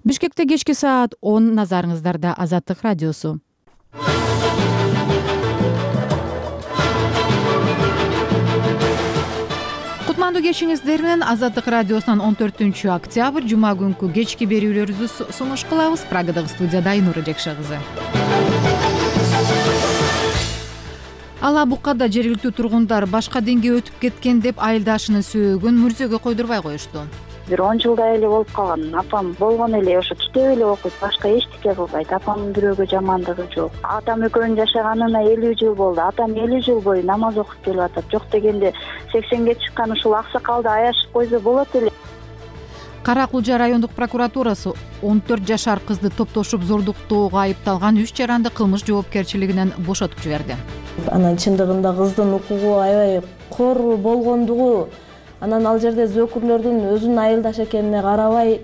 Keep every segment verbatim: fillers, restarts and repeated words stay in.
Бишкекте кечки саат он, назарыңыздарда Азаттык радиосу. Кутмандуу кечиңиздер менен Азаттык радиосунан он төртүнчү октябрь жума күнкү кечки берүүлөрүбүздү сунуш кылабыз. Прагадагы студияда Айнура Жекше кызы. Ала Букада жергиликтүү тургундар башка динге өтүп кеткен деп айылдашынын сөөгүн мүрзөгө койдурбай коюшту. Бир он жылдай эле болуп калган. Апам болгон эле ошо китеп эле окуйт, башка эчтеке кылбайт. Апамдын бирөөгө жамандыгы жок. Атам экөөнүн жашаганына элүү жыл болду. Атам элүү жыл бою намаз окуп келип атат. Жок дегенде сексенге чыккан ушул аксакалды аяшып койсо болот эле. Кара Кулжа райондук прокуратурасы он төрт жашар кызды топтошуп зордуктоого айыпталган үч жаранды кылмыш жоопкерчилигинен бошотуп жиберди. Анан чындыгында кыздын укугу аябай кор болгондугу, анан ал жерде зөөкүрлөрдүн өзүнүн айылдаш экенине карабай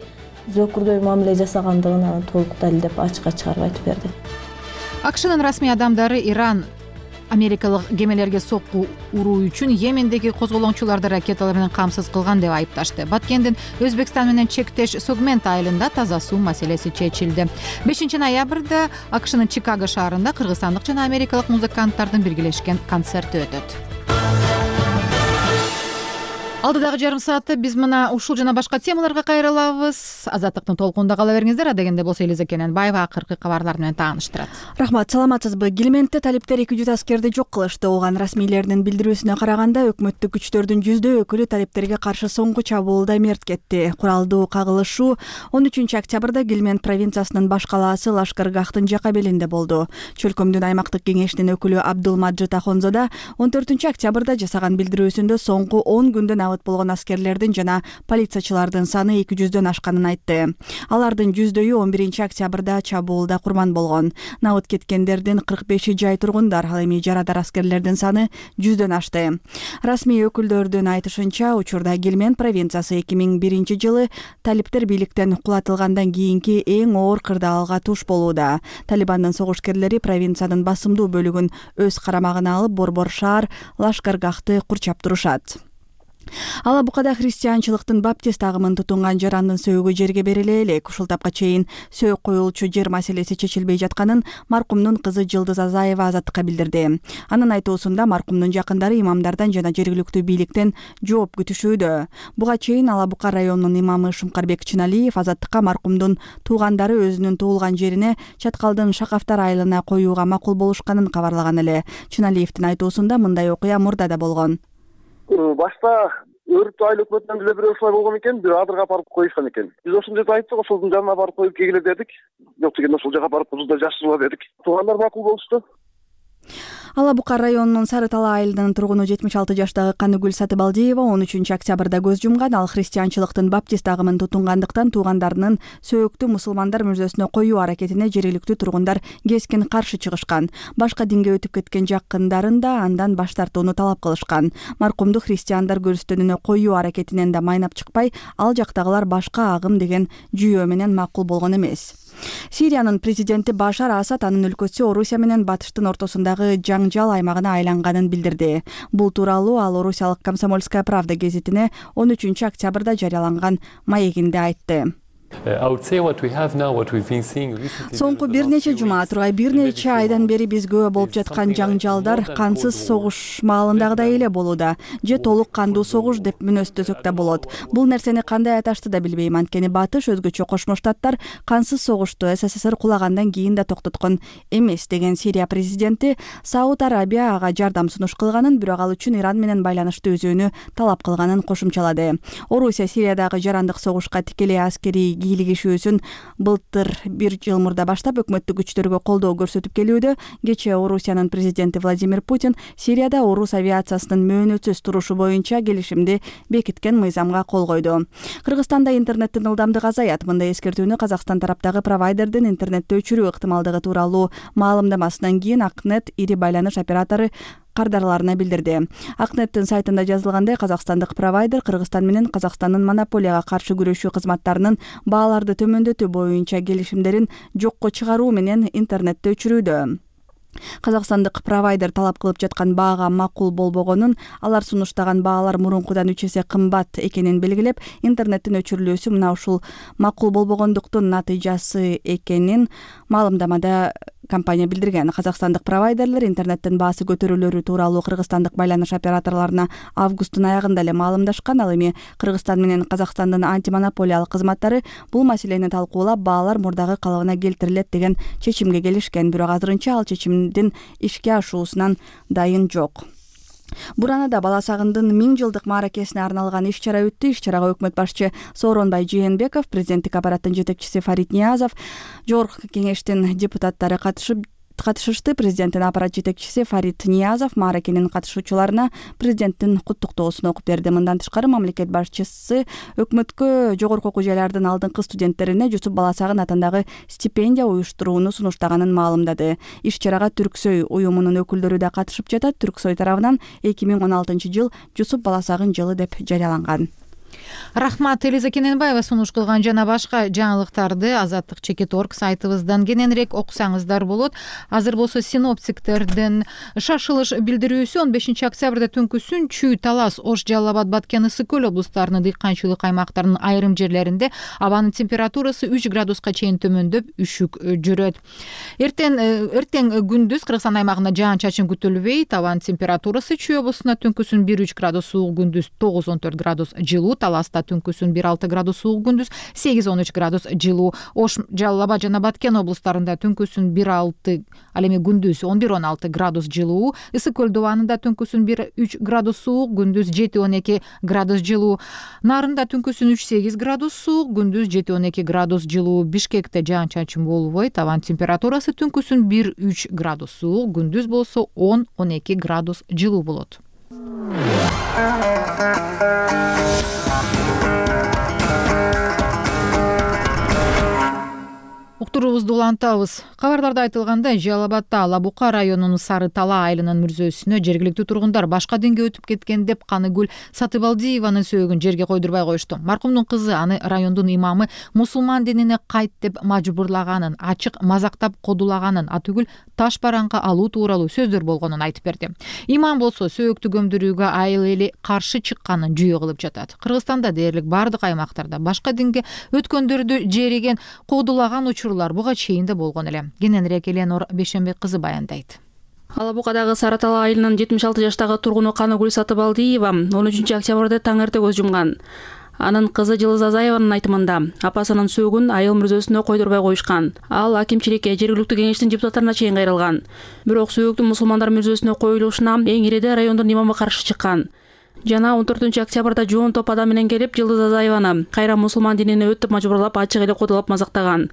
зөөкүрдөй мамиле жасагандыгын анан толук далилдеп ачыкка чыгарып айтып берди. АКШнын расмий адамдары Иран америкалык кемелерге сокку уруу үчүн Йемендеги козголоңчуларды ракеталар менен камсыз кылган деп айыпташты. Баткендин Өзбекстан менен чектеш Сугмент айылында таза суу маселеси чечилди. бешинчи ноябрда АКШнын Чикаго шаарында кыргызстандык жана америкалык музыканттардын биргелешкен концерти өтөт. Алдыдагы жарым саатта биз мына ушул жана башка темаларга кайрылабыз. Азаттыктын толкунунда кала бериңиздер. Адегенде болсо Элиза Кененбаева акыркы кабарлар менен тааныштырат. Рахмат, саламатсызбы? Килиментте талиптер эки жүз аскерди жок кылышты. Ооган расмийлердин билдирүүсүнө караганда, өкмөттүк күчтөрдүн жүздөй өкүлү талиптерге каршы соңку чабуулда мерт кетти. Куралдуу кагылышуу он үчүнчү октябрда Килимент провинциясынын баш калаасы Лашкаргахтын жака белинде болду. Чөлкөмдүн аймактык кеңешинин өкүлү Абдулмаджид Ахонзода он төртүнчү октябрда жасаган билдирүүсүндө соңку он күндөн абыт болгон аскерлердин жана полициячылардын саны эки жүздөн ашканын айтты. Алардын жүздөйү он биринчи октябрда чабуулда курман болгон. Набыт кеткендердин кырк беши жай тургундар, ал эми жарадар аскерлердин саны жүздөн ашты. Расмий өкүлдөрдүн айтышынча, учурда Килимент провинциясы эки миң биринчи жылы талиптер бийликтен кулатылгандан кийинки эң оор кырдаалга туш болууда. Талибандын согушкерлери провинциянын басымдуу бөлүгүн өз карамагына алып, борбор шаар Лашкаргахты курчап турушат. Ала Букада христианчылыктын баптист агымын тутунган жарандын сөөгү жерге бериле элек. Ушул тапка чейин сөөк коюлчу жер маселеси чечилбей жатканын маркумдун кызы Жылдыз Азаева Азаттыкка билдирди. Анын айтуусунда маркумдун жакындары имамдардан жана жергиликтүү бийликтен жооп күтүшүүдө. Буга чейин Ала Бука районунун имамы Шумкарбек Чыналиев Азаттыкка маркумдун туугандары өзүнүн туулган жерине Чаткалдын Шакафтар айылына коюуга макул болушканын кабарлаган эле. Чыналиевдин айтуусунда мындай окуя мурда да болгон. Башта өрүптү айыл өкмөтүнөн деле бирөө ушулай болгон экен, бир адырга апарып коюшкан экен. Биз ошондой айттык, ошолдун жанына барып коюп келгиле дедик. Жок дегенде ошол жака барып бузда жашыргыла дедик. Туугандар макул болушту. Ала Бука районунун Сары Тала айылынын тургуну жетимиш алты жаштагы Каныгүл Сатыбалдиева он үчүнчү октябрда көз жумган. Ал христианчылыктын баптист агымын тутунгандыктан туугандарынын сөөктү мусулмандар мүрзөсүнө коюу аракетине жергиликтүү тургундар кескин каршы чыгышкан. Башка динге өтүп кеткен жакындарын да андан баш тартууну талап кылышкан. Маркумду христиандар көрүстөнүнө коюу аракетинен да майнап чыкпай, ал жактагылар башка агым деген жүйөө менен макул болгон эмес. Сириянын президенти Башар Асад анын өлкөсү Орусия менен Батыштын ортосундагы жаңжал аймагына айланганын билдирди. Бул тууралуу ал Орусиялык Комсомольская правда гезитине он үчүнчү октябрда жарыяланган маегинде айтты. Соңку бир нече жума тургай бир нече айдан бери биз күбө болуп жаткан жаңжалдар кансыз согуш маалындагыдай эле болууда. Же толук кандуу согуш деп мүнөздөсөк да болот. Бул нерсени кандай аташты да билбейм. Анткени Батыш өзгөчө Кошмо Штаттар кансыз согушту СССР кулагандан кийин да токтоткон эмес деген Сирия президенти Сауд Арабия ага жардам сунуш кылганын, бирок ал үчүн Иран менен байланышты үзүүнү талап кылганын кошумчалады. Орусия Сириядагы жарандык согушка тикелей аскерий кийлигишүүсүн былтыр бир жыл мурда баштап өкмөттүк күчтөргө колдоо көрсөтүп келүүдө. Кечээ Орусиянын президенти Владимир Путин Сирияда орус авиациясынын мөөнөтсүз турушу боюнча келишимди бекиткен мыйзамга кол койду. Кыргызстанда интернеттин ылдамдыгы азаят. Мындай эскертүүнү Казакстан тараптагы провайдердин интернетти өчүрүү ыктымалдыгы тууралуу маалымдамасынан кийин Акнет ири байланыш оператору кардарларына билдирди. Акнеттин сайтында жазылгандай, казакстандык провайдер Кыргызстан менен Казакстандын монополияга каршы күрөшүү кызматтарынын бааларды төмөндөтүү боюнча келишимдерин жокко чыгаруу менен интернетти өчүрүүдө. Казакстандык провайдер талап кылып жаткан баага макул болбогонун, алар сунуштаган баалар мурункудан үч эсе кымбат экенин белгилеп, интернеттин өчүрүлүүсү мына ушул макул болбогондуктун натыйжасы экенин маалымдамада компания билдирген. Казакстандык провайдерлер интернеттин баасы көтөрүлөрү тууралуу кыргызстандык байланыш операторлоруна августтун аягында эле маалымдашкан. Ал эми Кыргызстан менен Казакстандын антимонополиялык кызматтары бул маселени талкуулап, баалар мурдагы калыбына келтирилет деген чечимге келишкен. Бирок азырынча ал чечимдин ишке ашуусунан дайын жок. Буранада бала сагындын миң жылдык мааракесине арналган иш-чара өттү. Иш-чарага өкмөт башчы Сооронбай Жээнбеков, президенттик аппараттын жетекчиси Фарид Ниязов, жогорку кеңештин депутаттары катышып катышышты. Президенттин аппарат жетекчиси Фарид Ниязов мааракенин катышуучуларына президенттин куттуктоосун окуп берди. Мындан тышкары мамлекет башчысы өкмөткө жогорку окуу жайлардын алдыңкы студенттерине Жусуп Баласагын атындагы стипендия уюштурууну сунуштаганын маалымдады. Иш-чарага Түрксөй уюмунун өкүлдөрү да катышып жатат. Түрксөй тарабынан эки миң он алтынчы жыл Жусуп Баласагын жылы деп жарыяланган. Рахмат. Элиза Кененбаева сунуш кылган жана башка жаңылыктарды Азаттык чекит точка орг сайтыбыздан кененирээк окусаңыздар болот. Азыр болсо синоптиктердин шашылыш билдирүүсү он бешинчи октябрда түнкүсүн Чүй, Талас, Ош, Жалал Абад, Баткен, Ысык көл облустарынын дыйканчылык аймактарынын айрым жерлеринде абанын температурасы үч градуска чейин төмөндөп, үшүк жүрөт. Эртең эртең күндүз Кыргызстан аймагында жаан-чачын күтүлбөйт. Абанын температурасы Чүй облусунда түнкүсүн бир үч градус суук, күндүз тогуз он төрт градус жылуу, Таласта түнкүсүн бир алты градус суук, күндүз сегиз он үч градус жылуу. Ош, Жалал Абад жана Баткен облустарында түнкүсүн бир алты, ал эми күндүз он бир он алты градус жылуу. Ысык көл дубанында түнкүсүн бир үч градус суук, күндүз жети он эки градус жылуу. Нарында түнкүсүн үч сегиз градус суук, күндүз жети он эки градус жылуу. Бишкекте жаан-чачын болбойт. Абанын температурасы түнкүсүн бир үч градус суук, күндүз болсо он он эки градус жылуу болот. Уктуруубузду улантабыз. Кабарларда айтылгандай, Жалал Абадда Ала Бука районунун Сары Тала айылынын мүрзөсүнө жергиликтүү тургундар башка динге өтүп кеткен деп Каныгүл Сатыбалдиеванын сөөгүн жерге койдурбай коюшту. Маркумдун кызы аны райондун имамы мусулман динине кайт деп мажбурлаганын, ачык мазактап кодулаганын, атүгүл таш бараңка алуу тууралуу сөздөр болгонун айтып берди. Имам болсо сөөктү көмдүрүүгө айыл эли каршы чыкканын жүйө кылып жатат. Кыргызстанда дээрлик бардык аймактарда башка динге өткөндөрдү жериген, кодулаган учурлар буга чейин да болгон эле. Кененирээк Эленор Бешенбек кызы баяндайт. Ала Букадагы Сары Тала айылынын жетимиш алты жаштагы тургуну Каныгүл Сатыбалдиева он үчүнчү октябрда таң эрте көз жумган. Анын кызы Жылыз Азаеванын айтымында апасынын сөөгүн айыл мүрзөсүнө койдурбай коюшкан. Ал акимчиликке, жергиликтүү кеңештин депутаттарына чейин кайрылган. Бирок сөөгүн мусулмандар мүрзөсүнө коюлушуна эң иреде райондун имамы каршы чыккан. Жана он төртүнчү октябрда жоон топ адам менен келип Жылыз Азаеваны кайра мусулман динине өт деп мажбурлап, ачык эле кодулап мазактаган.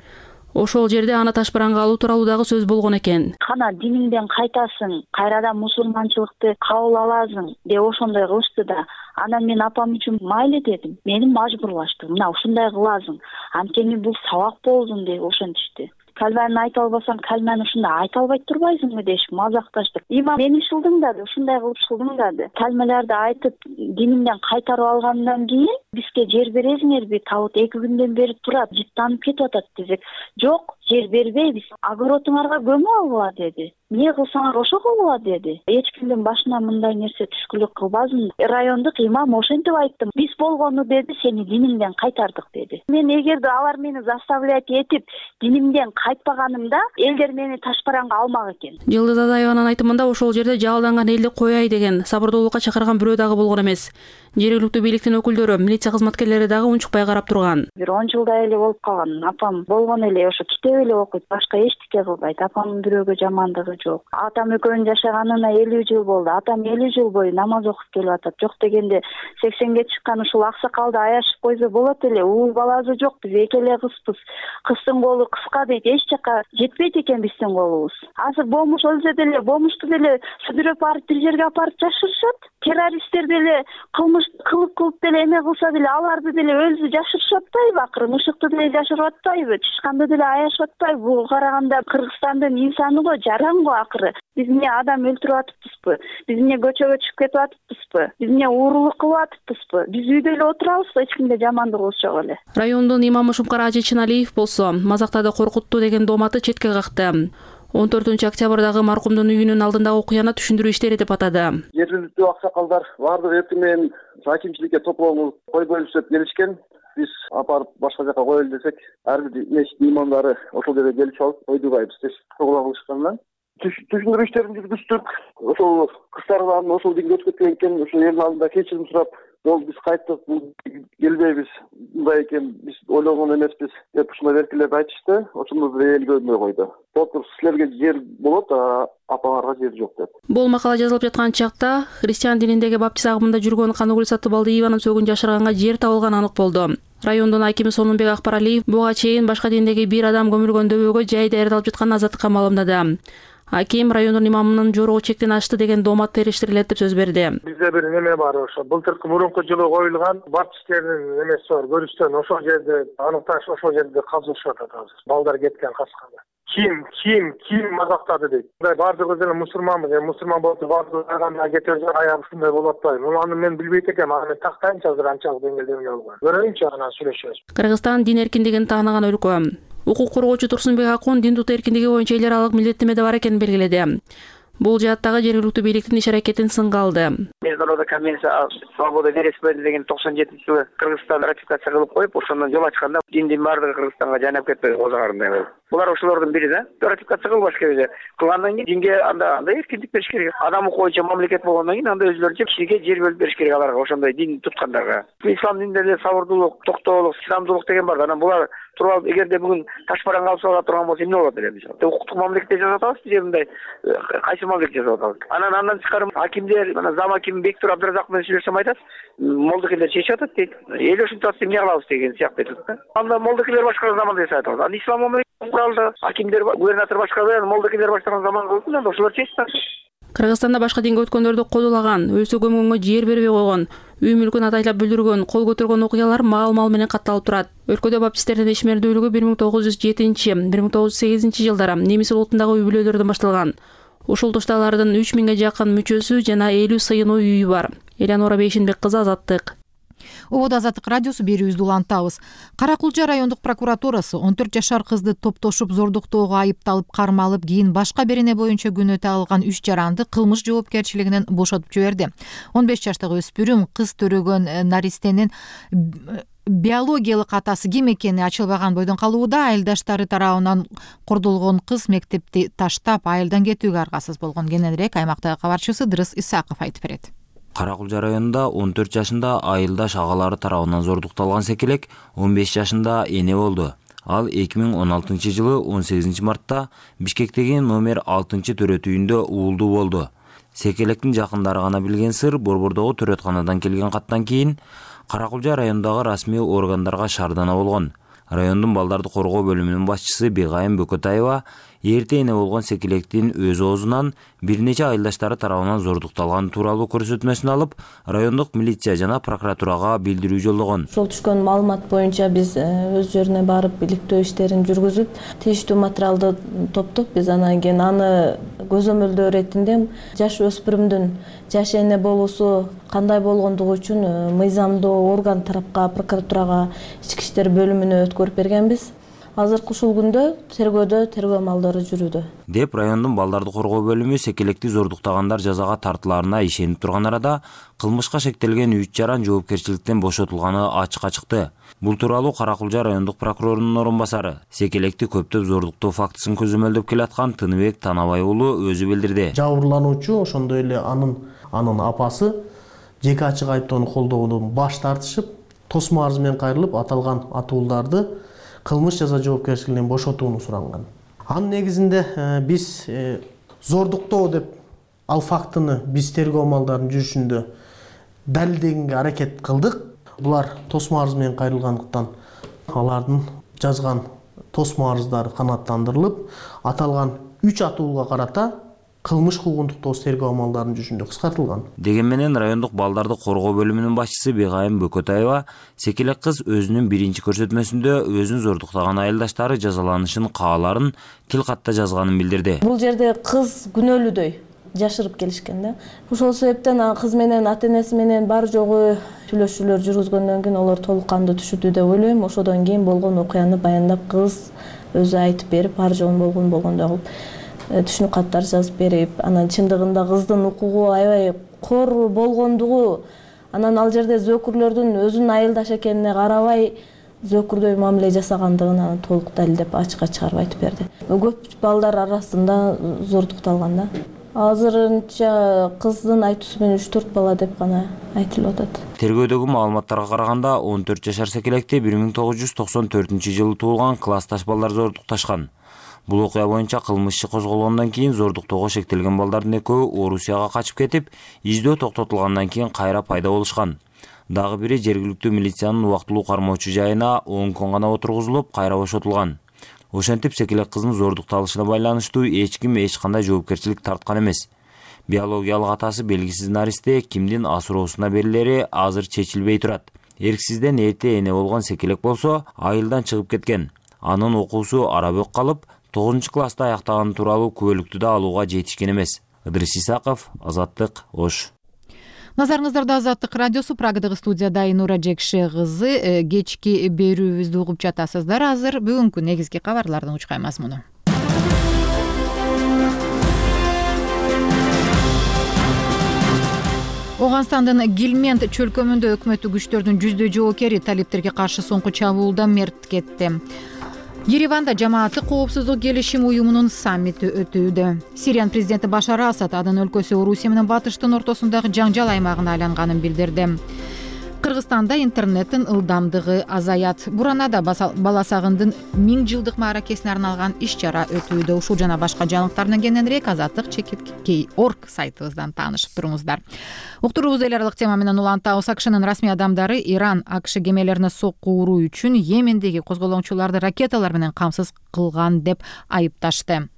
Ошол жерде аны таш бараңга алуу тууралуу дагы сөз болгон экен. Кана диниңден кайтасың, кайрадан мусулманчылыкты кабыл аласың деп ошондой кылышты да. Анан мен апам үчүн майлы дедим. Мени мажбурлашты. Мына ушундай кыласың. Анткени бул сабак болдун деп ошентишти. Калманы айта албасам, калманы ушундай айта албай турбайсыңбы дешип мазакташты. Имам мени шылдыңдады, ушундай кылып шылдыңдады. Калмаларды айтып, динимден кайтарып алгандан кийин бизге жер бересиңерби? Табыт эки күндөн бери турат, жыттанып кетип атат десек, жок, жер бербейбиз. Огородуңарга көмүп алгыла деди. Эмне кылсаңар ошо кылгыла деди. Эч кимдин башына мындай нерсе түшкүлүк кылбасын. Райондук имам ошентип айтты. Биз болгону деди, сени диниңден кайтардык деди. Мен эгерде алар мени заставлять этип динимден кайтпаганымда, элдер мени таш бараңга алмак экен. Жылдыз Азаеванын айтымында ошол жерде жалданган элди кояй деген, сабырдуулукка чакырган бирөө дагы болгон эмес. Жергиликтүү бийликтин өкүлдөрү, милиция кызматкерлери дагы унчукпай карап турган. Бир он жылдай эле болуп калган. Апам болгон эле ошо китеп эле окуйт, башка эчтеке кылбайт. Апамдын бирөөгө жамандыгы жок. Атам экөөнүн жашаганына элүү жыл болду. Атам элүү жыл бою намаз окуп келип атат. Жок дегенде сексенге чыккан ушул аксакалды аяшып койсо болот эле. Уул баласы жок, биз эки эле кызбыз. Кыздын колу кыска дейт, эч жака жетпейт экен биздин колубуз. Азыр бомуш өлсө деле, бомушту деле сүдүрөп барып бир жерге апарып жашырышат. Террористтер деле кылмыш кылып кылып деле эме кылса деле аларды деле өзү жашырышып атпайбы акыры? Мышыкты деле жашырып атпайбы? Тышканды деле аяшып атпайбы? Бул караганда Кыргызстандын инсаны го, жаран го акыры. Биз эмне адам өлтүрүп атыппызбы? Биз эмне көчөгө чыгып кетип атыппызбы? Биз эмне уурулук кылып атыппызбы? Биз үйдө эле отурабызбы? Эч кимге жамандык кылыш жок эле. Райондун имамы Шумкара Ажи Чыналиев болсо мазактады, коркутту деген дооматы четке какты. он төртүнчү октябрдагы маркумдун үйүнүн алдындагы окуяны түшүндүрүү иштери деп атады. Жергиликтүү аксакалдар баардыгы эртең менен акимчиликке топлонуп кой бөлүшүп келишкен. Биз апарып башка жака коелу десек, ар бир мешит имамдары ошол жерге келип алып койдубайбыз деп кабыл кылышкандан түшүндүрүү иштерин жүргүздүк. Ошол кыздардан ошол деңге өтүп кеткен экен, ошол элдин алдында кечирим сурап, жол биз кайттык, келбейбиз, мындай экен, биз ойлогон эмеспиз деп ушундай эркелеп айтышты. Ошондо бир эл көрмөй койду. Доктор силерге жер болот, а апаңарга жер жок деп. Бул макала жазылып жаткан чакта христиан дининдеги баптист агымында жүргөн Каныгүл Сатыбалдиеванын сөөгүн жашырганга жер табылганы анык болду. Райондун акими Сонунбек Акбаралиев буга чейин башка диндеги бир адам көмүлгөн дөбөгө жай даярдалып жатканын азаттыкка маалымдады. Аким райондун имамынын жорогу чектен ашты деген доомат териштирилет деп сөз берди. Бизде бир неме бар, ошо былтыркы мурунку жылы коюлган баптисттердин немеси бар, көрүштөн ошол жерде аныкташ, ошол жерде казылышып атат азыр. Балдар кеткен касканда. Ким, ким, ким мазактады дейт. Мындай баардыгыбыз эле мусулманбыз, эми мусулман болуп баардыгы барганда кетип аябы ушундай болуп атпайбы. Аны мен билбейт экенмин, аны мен тактайынчы азыр анчалык деңгээлде болгон. Көрөйүнчү, анан сүйлөшөбүз. Кыргызстан дин эркиндигин тааныган өлкө. Укук коргоочу Турсунбек Акун дин тутуу эркиндиги боюнча эл аралык милдеттеме бар экенин белгиледи. Бул жааттагы жергиликтүү бийликтин иш-аракетин сынга алды. Международный конвенция свобода вероисповедания деген токсон жетинчи жылы Кыргызстан ратификация кылып коюп, ошондон жол ачканда диндин баардыгы Кыргызстанга жайнап кетпей озагарындай болду. Булар ошолордун бири да. Ратификация кылбаш керек. Кылгандан кийин динге анда андай эркиндик бериш керек. Адам укуучу мамлекет болгондон кийин анда өзүлөрүнчө кишиге жер бөлүп бериш керек аларга, ошондой дин туткандарга. Ислам дининде эле сабырдуулук, токтоолук, чыдамдуулук деген бар. Анан булар туруп алып, эгерде бүгүн таш бараң алып сала турган болсо эмне болот эле мисалы? Укуктук мамлекетте жашап атабыз, же мындай кайсы мамлекетте жашап атабыз? Анан андан тышкары акимдер, мына зам аким Бектур Абдыразаков менен сүйлөшсөм айтат, молдокелер чечип атат дейт. Эл ушинтип атса эмне кылабыз деген сыяктуу айтат да. Анда молдокелер башкарган заманда жасап атабыз. Анда ислам мамлекети куралды, акимдер, губернатор башкарбай, молдокелер баштаган заман болсун, анда ошолор чечсин. Кыргызстанда башка динге өткөндөрдү кодулаган, өлсө көмгөнгө жер бербей койгон, үй мүлкүн атайлап бүлдүргөн, кол көтөргөн окуялар маал-мал менен катталып турат. Өлкөдө баптисттердин ишмердүүлүгү бир миң тогуз жүз жетинчи — бир миң тогуз жүз сегизинчи жылдары немис улутундагы үй бүлөлөрдөн башталган. Ушул тушта алардын үч миңге жакын мүчөсү жана элүү сыйынуу үйү бар. Элянора Бейшенбек кызы, Азаттык. Ободо Азаттык радиосу, берүүбүздү улантабыз. Кара Кулча райондук прокуратурасы он төрт жашар кызды топтошуп зордуктоого айыпталып кармалып, кийин башка берене боюнча күнөө тагылган үч жаранды кылмыш жоопкерчилигинен бошотуп жиберди. он беш жаштагы өспүрүм кыз төрөгөн наристенин биологиялык атасы ким экени ачылбаган бойдон калууда. Айылдаштары тарабынан кордолгон кыз мектепти таштап айылдан кетүүгө аргасыз болгон. Кененирээк аймактагы кабарчысы Дырыс Исаков айтып берет. Кара Кулча районунда он төрт жашында айылдаш агалары тарабынан зордукталган секелек он беш жашында эне болду. Ал эки миң он алтынчы жылы он сегизинчи мартта Бишкектеги номер алтынчы төрөт үйүндө уулдуу болду. Секелектин жакындары гана билген сыр, Борбордогу төрөтканадан келген каттан кийин Кара Кулча райондагы расмий органдарга шаардана болгон. Райондун балдарды коргоо бөлүмүнүн башчысы Бегайым Бөкөтаева эрте эне болгон секелектин өз оозунан бир нече айылдаштары тарабынан зордукталган тууралуу көрсөтмөсүн алып, райондук милиция жана прокуратурага билдирүү жолдогон. Ошол түшкөн маалымат боюнча биз өз жерине барып иликтөө иштерин жүргүзүп, тийиштүү материалды топтоп, биз анан кийин аны көзөмөлдөө иретинде жаш өспүрүмдүн жаш эне болуусу кандай болгондугу үчүн мыйзамдуу орган тарапка, прокуратурага, ички иштер бөлүмүнө өткөрүп бергенбиз. Азыркы ушул күндө тергөөдө тергөө амалдары жүрүүдө деп райондун балдарды коргоо бөлүмү секелекти зордуктагандар жазага тартылаарына ишенип турган арада кылмышка шектелген үч жаран жоопкерчиликтен бошотулганы ачыкка чыкты. Бул тууралуу Кара Кулча райондук прокурорунун орун басары, секелекти көптөп зордуктоо фактысын көзөмөлдөп келаткан Тыныбек Танабай уулу өзү билдирди. Жабырлануучу ошондой эле анын анын апасы жеке ачык айыптоону колдоодон баш тартышып, тосмо арыз менен кайрылып, аталган атууларды кылмыш жаза жоопкерчилигинен бошотууну суранган. Анын негизинде биз зордуктоо деп ал фактыны биз тергөө амалдарынын жүрүшүндө далилдегенге аракет кылдык. Булар тосмо арыз менен кайрылгандыктан алардын жазган тосмо арыздары канааттандырылып, аталган үч атуулга карата кылмыш куугунтук тергөө амалдарынын жүрүшүндө кыскартылган. Деген менен райондук балдарды коргоо бөлүмүнүн башчысы Бегайым Бөкөтаева секелек кыз өзүнүн биринчи көрсөтмөсүндө өзүн зордуктаган айылдаштары жазаланышын кааларын тил катта жазганын билдирди. Бул жерде кыз күнөөлүүдөй жашырып келишкен да. Ошол себептен кыз менен ата-энеси менен бар жогу сүйлөшүүлөр жүргүзгөндөн кийин алар толук кандуу түшүндү деп ойлойм. Ошодон кийин болгон окуяны баяндап, кыз өзү айтып берип, бар жогун болгон болгондой кылып түшүнүк каттар жазып берип, анан чындыгында кыздын укугу аябай кор болгондугу, анан ал жерде зөөкүрлөрдүн өзүнүн айылдаш экенине карабай зөөкүрдөй мамиле жасагандыгын анан толук далилдеп ачыкка чыгарып айтып берди. Көп балдар арасында зордукталган да. Азырынча кыздын айтуусу менен үч төрт бала деп гана айтылып атат. Тергөөдөгү маалыматтарга караганда он төрт жашар секелекти бир миң тогуз жүз токсон төртүнчү жылы туулган классташ балдар зордукташкан. Бул окуя боюнча кылмыш иши козголгондон кийин зордуктоого шектелген балдардын экөө Орусияга качып кетип, издөө токтотулгандан кийин кайра пайда болушкан. Дагы бири жергиликтүү милициянын убактылуу кармоочу жайына он күн гана отургузулуп, кайра бошотулган. Ошентип секелек кыздын зордукталышына байланыштуу эч ким эч кандай жоопкерчилик тарткан эмес. Биологиялык атасы белгисиз наристе кимдин асыроосуна берилери азыр чечилбей турат. Эрксизден эрте эне болгон секелек болсо айылдан чыгып кеткен. Анын окуусу арабөк калып, тогузунчу класста аяктаганы тууралуу күбөлүктү да алууга жетишкен эмес. Ыдырыс Исаков, Азаттык, Ош. Назарыңыздарда Азаттык радиосу, Прагадагы студияда Айнура Жекше кызы. Кечки берүүбүздү угуп жатасыздар. Азыр бүгүнкү негизги кабарлардын учкай мазмуну. Оганстандын Гилмент чөлкөмүндө өкмөттүк күчтөрдүн жүздөй жоокери талиптерге каршы соңку чабуулда мерт кетти. Ереванда жамааттык коопсуздук келишим уюмунун саммити өтүүдө. Сириянын президенти Башар Асад анын өлкөсү Орусия менен батыштын ортосундагы жаңжал аймагына айланганын билдирди. Кыргызстанда интернеттин ылдамдыгы азаят. Буранада баласагындын миң жылдык мааракесине арналган иш-чара өтүүдө. Ушул жана башка жаңылыктардан кененирээк Азаттык чекит кей орг сайтыбыздан таанышып туруңуздар. Уктуруубуз эл аралык тема менен улантабыз. АКШнын расмий адамдары Иран АКШ кемелерине сокку уруу үчүн Йемендеги козголоңчуларды ракеталар менен камсыз кылган деп айыпташты.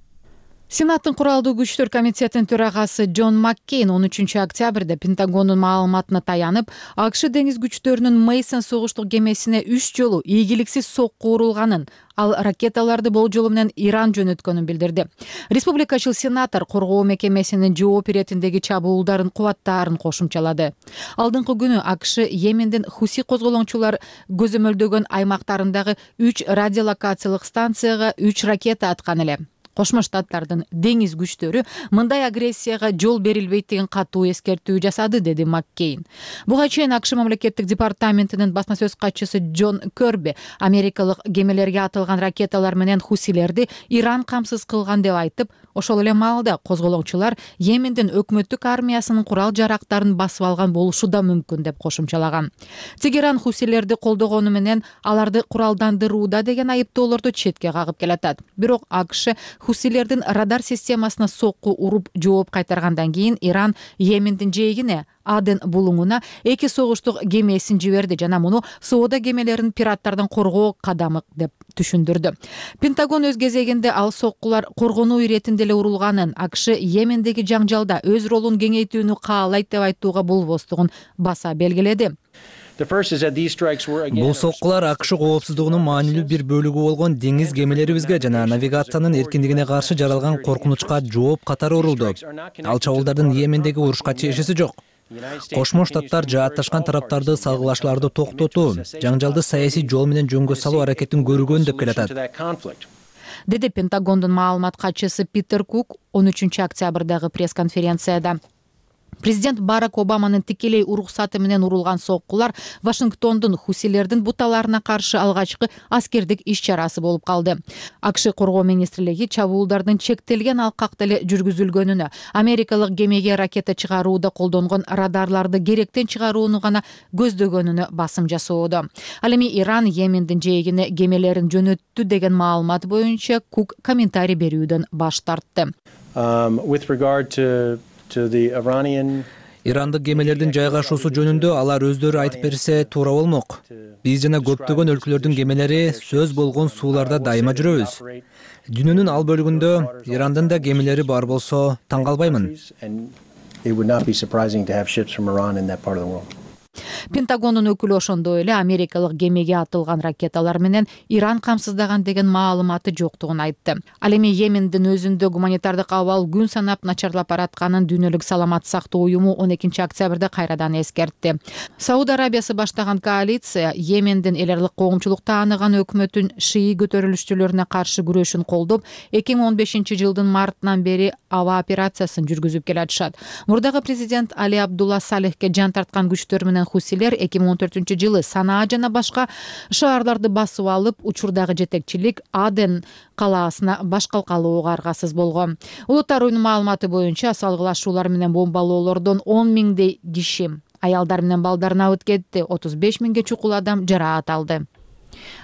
Сенаттын куралдуу күчтөр комитетинин төрагасы Джон Маккейн он үчүнчү октябрда Пентагондун маалыматына таянып, АКШ деңиз күчтөрүнүн Мейсон согуштук кемесине үч жолу ийгиликсиз сокку урулганын, ал ракеталарды болжолу менен Иран жөнөткөнүн билдирди. Республикачыл сенатор коргоо мекемесинин жооп иретиндеги чабуулдарын кубаттаарын кошумчалады. Алдыңкы күнү АКШ Йемендин Хуси козголоңчулар көзөмөлдөгөн аймактарындагы үч радиолокациялык станцияга үч ракета аткан эле. Кошмо Штаттардын деңиз күчтөрү мындай агрессияга жол берилбейт деген катуу эскертүү жасады, деди Маккейн. Буга чейин АКШ мамлекеттик департаментинин басма сөз катчысы Джон Көрби америкалык кемелерге атылган ракеталар менен хусилерди Иран камсыз кылган деп айтып, ошол эле маалда козголоңчулар Йемендин өкмөттүк армиясынын курал жарактарын басып алган болушу да мүмкүн деп кошумчалаган. Тегеран хусилерди колдогону менен аларды куралдандырууда деген айыптоолорду четке кагып келатат. Бирок АКШ хусилердин радар системасына сокку уруп жооп кайтаргандан кийин Иран Йемендин жээгине Аден булуңуна эки согуштук кемесин жиберди жана муну соода кемелерин пираттардан коргоо кадамы деп түшүндүрдү. Пентагон өз кезегинде ал соккулар коргонуу иретинде эле урулганын, АКШ Йемендеги жаңжалда өз ролун кеңейтүүнү каалайт деп айтууга болбостугун баса белгиледи. Бул соккулар АКШ коопсуздугунун маанилүү бир бөлүгү болгон деңиз кемелерибизге жана навигациянын эркиндигине каршы жаралган коркунучка жооп катары урулду. Ал чабуулдардын Йемендеги урушка чейишеси жок. Кошмо Штаттар жаатташкан тараптарды салгылашларды токтотуу, жаңжалды саясий жол менен жөнгө салуу аракетин көргөн деп келатат, деди Пентагондун маалымат катчысы Питер Кук он үчүнчү октябрдагы пресс-конференцияда. Президент Барак Обаманын тикелей уруксаты менен урулган соккулар Вашингтондун хусилердин буталарына каршы алгачкы аскердик иш-чарасы болуп калды. АКШ коргоо министрлиги чабуулдардын чектелген алкакта эле жүргүзүлгөнүнө, америкалык кемеге ракета чыгарууда колдонгон радарларды керектен чыгарууну гана көздөгөнүнө басым жасоодо. Ал эми Иран Йемендин жээгине кемелерин жөнөттү деген маалымат боюнча Кук комментарий берүүдөн баш тартты. Ирандык кемелердин жайгашуусу жөнүндө алар өздөрү айтып берсе туура болмок. Биз жана көптөгөн өлкөлөрдүн кемелери сөз болгон сууларда дайыма жүрөбүз. Дүйнөнүн ал бөлүгүндө Ирандын да кемелери бар болсо таң калбаймын. Пентагондун өкүлү ошондой эле америкалык кемеге атылган ракеталар менен Иран камсыздаган деген маалыматы жоктугун айтты. Ал эми Йемендин өзүндө гуманитардык абал күн санап начарлап баратканын Дүйнөлүк саламат сактоо уюму он экинчи октябрда кайрадан эскертти. Сауд Арабиясы баштаган коалиция Йемендин эл аралык коомчулук тааныган өкмөтүн шии көтөрүлүшчүлөрүнө каршы күрөшүн колдоп, эки миң он бешинчи жылдын мартынан бери аба операциясын жүргүзүп келатышат. Мурдагы президент Али Абдулла Салихке жан тарткан күчтөр менен хусилер эки миң он төртүнчү жылы Санаа жана башка шаарларды басып алып, учурдагы жетекчилик Аден калаасына баш калкалууга аргасыз болгон. Улуттар уюмунун маалыматы боюнча салгылашуулар менен бомбалоолордон он миңдей киши, аялдар менен балдар абыт кетти, отуз беш миңге чукул адам жараат алды.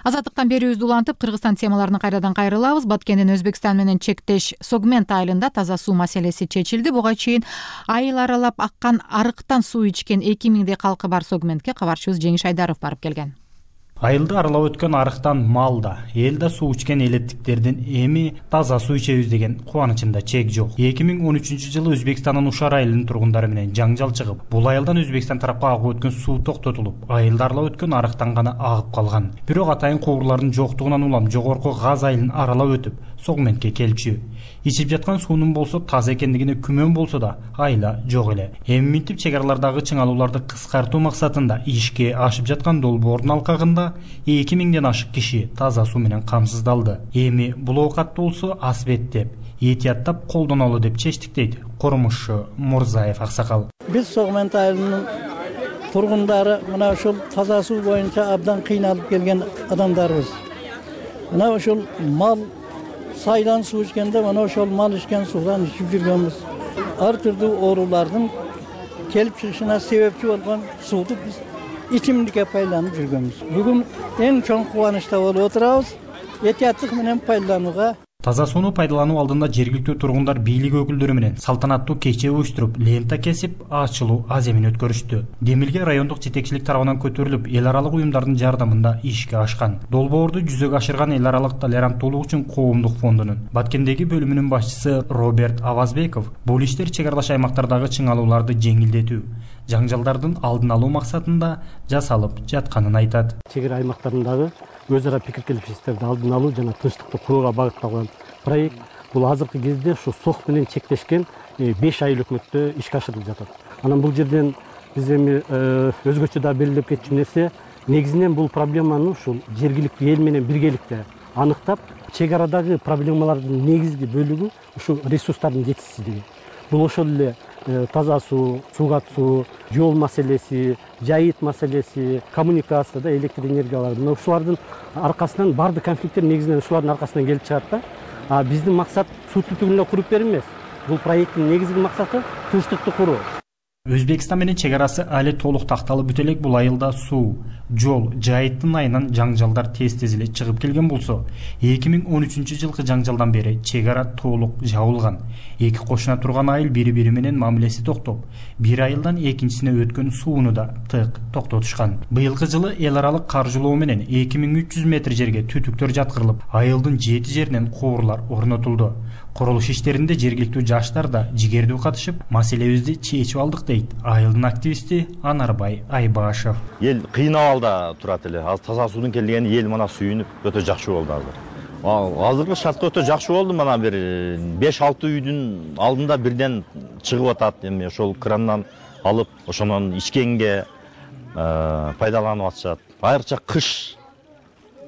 Азаттыктан берүүбүздү улантып, Кыргызстан темаларына кайрадан кайрылабыз. Баткендин Өзбекстан менен чектеш Согмент айылында таза суу маселеси чечилди. Буга чейин айыл аралап аккан арыктан суу ичкен эки миңдей калкы бар Согментке кабарчыбыз Жеңиш Айдаров барып келген. Айылды аралап өткөн арыктан мал да, эл да суу ичкен элеттиктердин эми таза суу ичебиз деген кубанычында чек жок. эки миң он үчүнчү жылы Өзбекстандын Ушар айылынын тургундары менен жаңжал чыгып, бул айылдан Өзбекстан тарапка агып өткөн суу токтотулуп, айылды аралап өткөн арыктан гана агып калган. Бирок атайын куурлардын жоктугунан улам жогорку Газ айылын аралап өтүп, Согментке келчү. Ичип жаткан суунун болсо таза экендигине күмөн болсо да айла жок эле. Эми минтип чек аралардагы чыңалууларды кыскартуу максатында ишке ашып жаткан долбоордун алкагында эки миңден ашык киши таза суу менен камсыздалды. Эми бул оокатты болсо асбеттеп, этияттап колдонолу деп чечтик дейт Кормушчу Мурзаев аксакал. Биз Согмент айылынын тургундары мына ушул таза суу боюнча абдан кыйналып келген адамдарбыз. Мына ушул мал сайдан суу ичкенде мына ошол мал ичкен суудан ичип жүргөнбүз. Ар түрдүү оорулардын келип чыгышына себепчи болгон сууну биз ичимдикке пайдаланып жүргөнбүз. Бүгүн эң чоң кубанычта болуп отурабыз. Этияттык менен пайдаланууга. Таза сууну пайдалануу алдында жергиликтүү тургундар бийлик өкүлдөрү менен салтанаттуу кече уюштуруп, лента кесип, ачылуу аземин өткөрүштү. Демилге райондук жетекчилик тарабынан көтөрүлүп, эл аралык уюмдардын жардамында ишке ашкан. Долбоорду жүзөгө ашырган эл аралык толеранттуулук үчүн коомдук фондунун Баткендеги бөлүмүнүн башчысы Роберт Авазбеков бул иштер чек аралаш аймактардагы чыңалууларды жеңилдетүү, жаңжалдардын алдын алуу максатында жасалып жатканын айтат. Чек ара аймактарындагы өз ара пикир келишимсиздиктерди алдын алуу жана тынчтыкты курууга багытталган проект. Бул азыркы кезде ушу СОХ менен чектешкен беш айыл өкмөттө ишке ашырылып жатат. Анан бул жерден биз эми өзгөчө да белгилеп кетчү нерсе, негизинен бул проблеманы ушул жергиликтүү эл менен биргеликте аныктап, чек арадагы проблемалардын негизги бөлүгү ушу ресурстардын жетишсиздиги. Бул ошол эле таза суу, суугат суу, жол маселеси, жайыт маселеси, коммуникацияда электр энергиялары. Ушулардын аркасынан бардык конфликттер негизинен ушулардын аркасынан келип чыгат да. А биздин максат суу түтүгүнө куруп берүү эмес. Бул проекттин негизги максаты тынчтыкты куруу. Өзбекстан менен чек арасы али толук такталып бүтө элек бул айылда суу, жол, жайыттын айынан жаңжалдар тез-тез эле чыгып келген болсо, эки миң он үчүнчү жылкы жаңжалдан бери чек ара толук жабылган. Эки кошуна турган айыл бири-бири менен мамилеси токтоп, бир айылдан экинчисине өткөн сууну да тык токтотушкан. Быйылкы жылы эл аралык каржылоо менен эки миң үч жүз метр жерге түтүктөр жаткырылып, айылдын жети жеринен куурлар орнотулду. Курулуш иштеринде жергиликтүү жаштар да жигердүү катышып, маселебизди чечип алдык дейт айылдын активисти Анарбай Айбашев. Эл кыйнап алда турат эле. Азыр таза суудун келгени эл мана сүйүнүп өтө жакшы болду азыр. Азыркы шартта өтө жакшы болду. Мана бир беш алты үйдүн алдында бирден чыгып атат. Эми ошол крандан алып, ошонун ичкенге пайдаланып атышат. Айрыкча кыш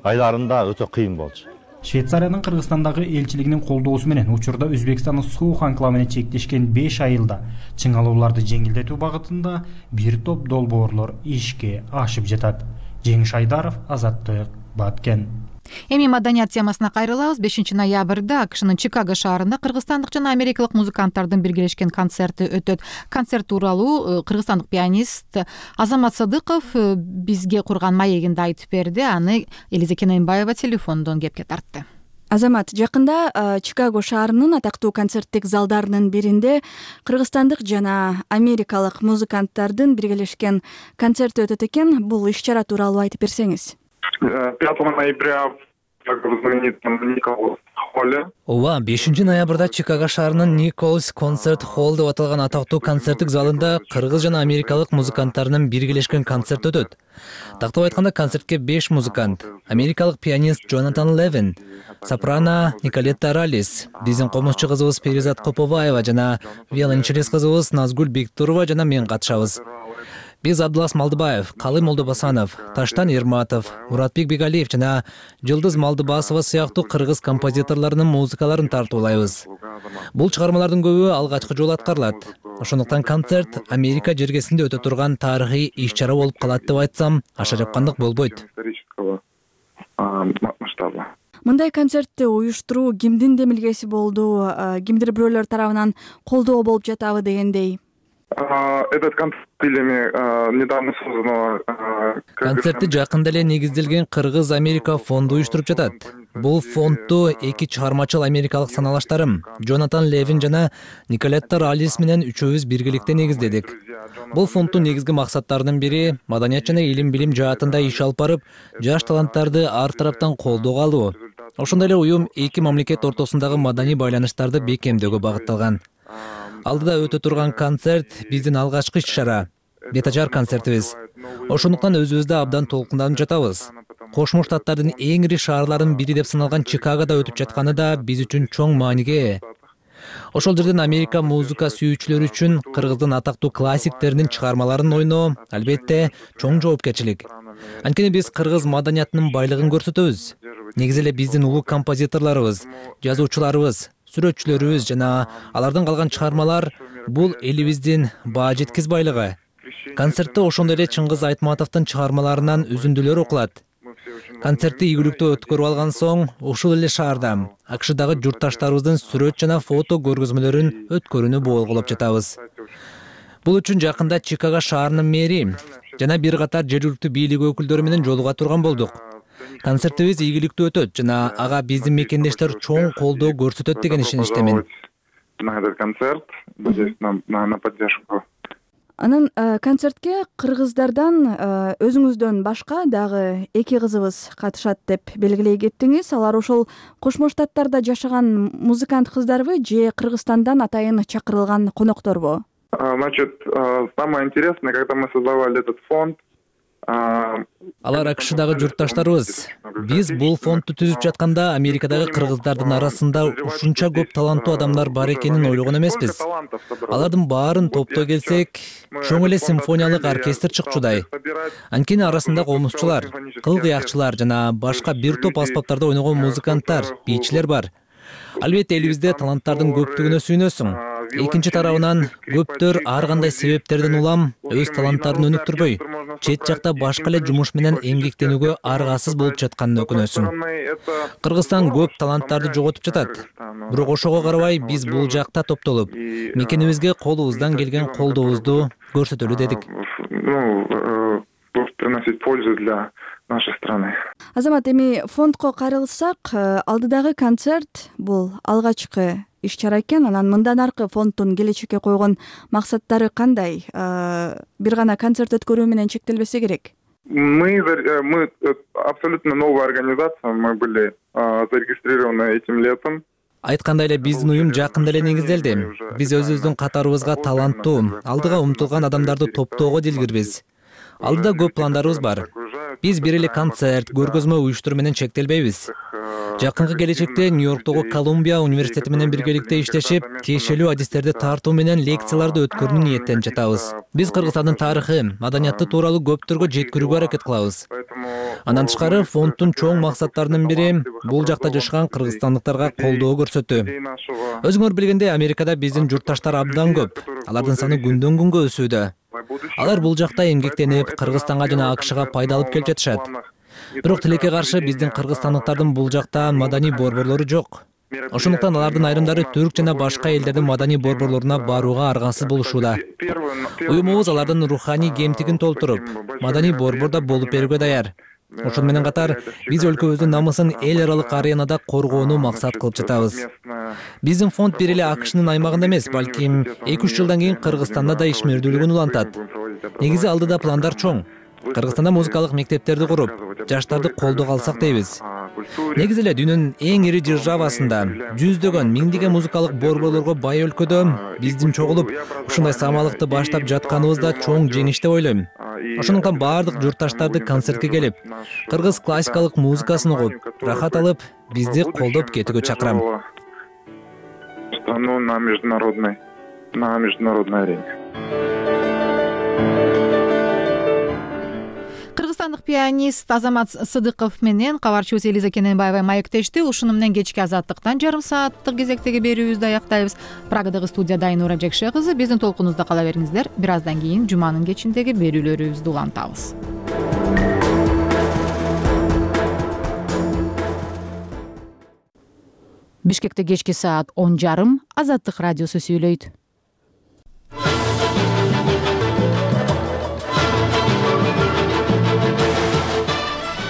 айларында өтө кыйын болчу. Швейцариянын Кыргызстандагы элчилигинин колдоосу менен учурда Өзбекстандын суу анклавына чектешкен беш айылда чыңалууларды жеңилдетүү багытында бир топ долбоорлор ишке ашып жатат. Жеңиш Айдаров, Азаттык, Баткен. Эми маданият темасына кайрылабыз. бешинчи ноябрда АКШнын Чикаго шаарында кыргызстандык жана америкалык музыканттардын биргелешкен концерти өтөт. Концерт тууралуу кыргызстандык пианист Азамат Садыков бизге курган маегинде айтып берди. Аны Элиза Кененбаева телефондон кепке тартты. Азамат, жакында Чикаго шаарынын атактуу концерттик залдарынын биринде кыргызстандык жана америкалык музыканттардын биргелешкен концерти өтөт экен. Бул иш-чара тууралуу айтып берсеңиз. пятого ноября ооба, бешинчи ноябрда Чикаго шаарынын Николс концерт холл деп аталган атактуу концерттик залында кыргыз жана америкалык музыканттарынын биргелешкен концерти өтөт. Тактап айтканда концертке беш музыкант: америкалык пианист Джонатан Левин, сопрано Николетта Ралис, биздин комузчу кызыбыз Перизат Коповаева жана виолончелист кызыбыз Назгүл Бектурова жана мен катышабыз. Биз Абдылас Малдыбаев, Калый Молдобасанов, Таштан Ерматов, Муратбек Бегалиев жана Жылдыз Малдыбасова сыяктуу кыргыз композиторлорунун музыкаларын тартуулайбыз. Бул чыгармалардын көбү алгачкы жолу аткарылат. Ошондуктан концерт Америка жергесинде өтө турган тарыхый иш-чара болуп калат деп айтсам, аша жапкандык болбойт. Мындай концертти уюштуруу кимдин демилгеси болду? Кимдир бирөөлөр тарабынан колдоо болуп жатабы дегендей? Этот концерт недавно созданного. Концертти жакында эле негизделген Кыргыз Америка фонду уюштуруп жатат. Бул фондду эки чыгармачыл америкалык саналаштарым Джонатан Левин жана Николетта Ралис менен үчөөбүз биргеликте негиздедик. Бул фонддун негизги максаттарынын бири маданият жана илим билим жаатында иш алып барып, жаш таланттарды ар тараптан колдоого алуу. Ошондой эле уюм эки мамлекет ортосундагы маданий байланыштарды бекемдөөгө багытталган. Алдыда өтө турган концерт биздин алгачкы иш-чара, бетажар концертибиз. Ошондуктан өзүбүздө абдан толкунданып жатабыз. Кошмо Штаттардын эң ири шаарларынын бири деп саналган Чикагода өтүп жатканы да биз үчүн чоң мааниге ээ. Ошол жерден Америка музыка сүйүүчүлөрү үчүн кыргыздын атактуу классиктеринин чыгармаларын ойноо албетте чоң жоопкерчилик. Анткени биз кыргыз маданиятынын байлыгын көрсөтөбүз. Негизи эле биздин улуу композиторлорубуз, жазуучуларыбыз, сүрөтчүлөрүбүз жана алардан калган чыгармалар бул элибиздин баа жеткиз байлыгы. Концертте ошондой эле Чыңгыз Айтматовдун чыгармаларынан үзүндүлөр окулат. Концертти ийгиликтүү өткөрүп алган соң ушул эле шаарда АКШдагы журтташтарыбыздын сүрөт жана фото көргөзмөлөрүн өткөрүүнү болголоп жатабыз. Бул үчүн жакында Чикаго шаарынын мэри жана бир катар жергиликтүү бийлик өкүлдөрү менен жолуга турган болдук. Концертибиз ийгиликтүү өтөт жана ага биздин мекендештер чоң колдоо көрсөтөт деген ишеничтемин. Анан концертке кыргыздардан өзүңүздөн башка дагы эки кызыбыз катышат деп белгилей кеттиңиз. Алар ошол Кошмо Штаттарда жашаган музыкант кыздарбы же Кыргызстандан атайын чакырылган конокторбу? Значит, самое интересное, когда мы создавали этот фонд, алар АКШдагы журтташтарыбыз. Биз бул фондду түзүп жатканда Америкадагы кыргыздардын арасында ушунча көп таланттуу адамдар бар экенин ойлогон эмеспиз. Алардын баарын топтой келсек, чоң эле симфониялык оркестр чыкчудай. Анткени арасында комузчулар, кыл кыякчылар жана башка бир топ аспаптарда ойногон музыканттар, бийчилер бар. Албетте элибизде таланттардын көптүгүнө сүйүнөсүң. Экинчи тарабынан көптөр ар кандай себептерден улам өз таланттарын өнүктүрбөй, чет жакта башка эле жумуш менен эмгектенүүгө аргасыз болуп жатканын өкүнөсүң. Кыргызстан көп таланттарды жоготуп жатат. Бирок ошого карабай биз бул жакта топтолуп, мекенибизге колубуздан келген колдообузду көрсөтөлү дедик. Приносить пользу для нашей страны. Азамат, эми фондко кайрылсак, алдыдагы концерт бул алгачкы иш-чара экен. Анан мындан аркы фонддун келечекке койгон максаттары кандай? Бир гана концерт өткөрүү менен чектелбесе керек. Мы мы абсолютно новая организация, мы были зарегистрированы этим летом. Айткандай эле биздин уюм жакында эле негизделди. Биз өзүбүздүн катарыбызга таланттуу, алдыга умтулган адамдарды топтоого дилгирбиз. Алдыда көп пландарыбыз бар. Биз бир эле концерт, көргөзмө уюштуруу менен чектелбейбиз. Жакынкы келечекте Нью-Йорктогу Колумбия университети менен биргеликте иштешип, тиешелүү адистерди тартуу менен лекцияларды өткөрүүнү ниеттенип жатабыз. Биз Кыргызстандын тарыхы, маданияты тууралуу көптөргө жеткирүүгө аракет кылабыз. Андан тышкары фонддун чоң максаттарынын бири бул жакта жашаган кыргызстандыктарга колдоо көрсөтүү. Өзүңөр билгендей, Америкада биздин журтташтар абдан көп. Алардын саны күндөн күнгө өсүүдө. Алар бул жакта эмгектенип, Кыргызстанга жана АКШга пайда алып келип жатышат. Бирок тилекке каршы биздин кыргызстандыктардын бул жакта маданий борборлору жок. Ошондуктан алардын айрымдары түрк жана башка элдердин маданий борборлоруна барууга аргасыз болушууда. Уюмубуз алардын руханий кемтигин толтуруп, маданий борбордо болуп берүүгө даяр. Ошону менен катар биз өлкөбүздүн намысын эл аралык аренада коргоону максат кылып жатабыз. Биздин фонд бир эле АКШнын аймагында эмес, балким эки үч жылдан кийин Кыргызстанда да ишмердүүлүгүн улантат. Негизи алдыда пландар чоң. Кыргызстанда музыкалык мектептерди куруп, жаштарды колдоого алсак дейбиз. негизи эле дүйнөнүн эң ири державасында жүздөгөн миңдеген музыкалык борборлорго бай өлкөдө биздин чогулуп ушундай самалыкты баштап жатканыбыз да чоң жеңиш деп ойлойм. Ошондуктан баардык журтташтарды концертке келип, кыргыз классикалык музыкасын угуп, рахат алып, бизди колдоп кетүүгө чакырам. Страну на международной на международной арене. Кыргызстандык пианист Азамат Сыдыков менен кабарчыбыз Элиза Кененбаева маектешти. Ушуну менен кечки Азаттыктан жарым сааттык кезектеги берүүбүздү аяктайбыз. Прагадагы студияда Айнура Жекше кызы. Биздин толкунубузда кала бериңиздер. Бир аздан кийин жуманын кечиндеги берүүлөрүбүздү улантабыз. Бишкекте кечки саат он жарым Азаттык радиосу сүйлөйт.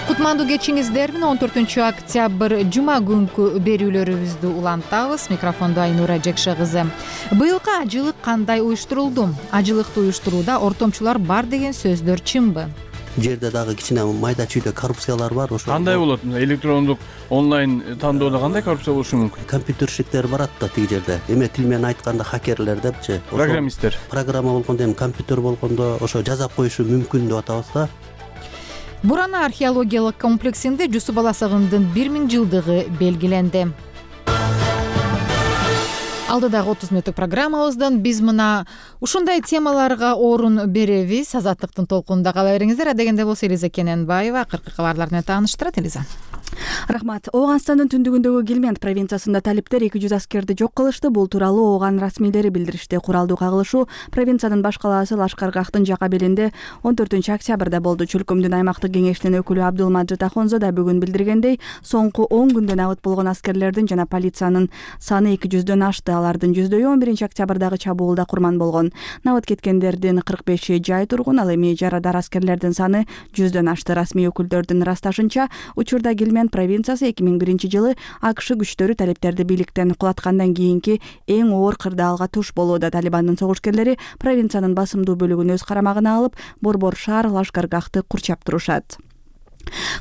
Кутмандуу кечиңиздер менен он төртүнчү октябрь жума күнкү берүүлөрүбүздү улантабыз. Микрофондо Айнура Жекше кызы. Быйылкы ажылык кандай уюштурулду? Ажылыкты уюштурууда ортомчулар бар деген сөздөр чынбы? Жерде дагы кичине майда чүйдө коррупциялар бар. Ошо кандай болот? Электрондук онлайн тандоодо кандай коррупция болушу мүмкүн? Компьютерщиктер барат да тиги жерде. Эме тил менен айтканда хакерлер депчи. Программисттер. Программа болгондо эми компьютер болгондо ошо жазап коюшу мүмкүн деп атабыз да. Бурана археологиялык комплексинде Жусуп Баласагындын бир миң жылдыгы белгиленди. Алдыдагы отуз мүнөттүк программабыздан биз мына ушундай темаларга орун беребиз. Азаттыктын толкунунда кала бериңиздер. Адегенде болсо Элиза Кененбаева акыркы кабарлар менен тааныштырат. Элиза. Рахмат. Ооганстандын түндүгүндөгү Гелмент провинциясында талиптер эки жүз аскерди жок кылышты. Бул тууралуу Ооган расмийлери билдиришти. Куралдуу кагылышуу провинциянын баш калаасы Лашкаргахтын жака белинде он төртүнчү октябрда болду. Чөлкөмдүн аймактык кеңешинин өкүлү Абдулмаджид Ахонзо да бүгүн билдиргендей, соңку он күндө набыт болгон аскерлердин жана полициянын саны эки жүздөн ашты. Алардын жүздөйү он биринчи октябрдагы чабуулда курман болгон. Набыт кеткендердин кырк беши жай тургун, ал эми жарадар аскерлердин саны жүздөн ашты. Расмий өкүлдөрдүн ырасташынча, учурда Гелмент провинциясы эки миң биринчи жылы АКШ күчтөрү талиптерди бийликтен кулаткандан кийинки эң оор кырдаалга туш болууда. Талибандын согушкерлери провинциянын басымдуу бөлүгүн өз карамагына алып, борбор шаар Лашкаргахты курчап турушат.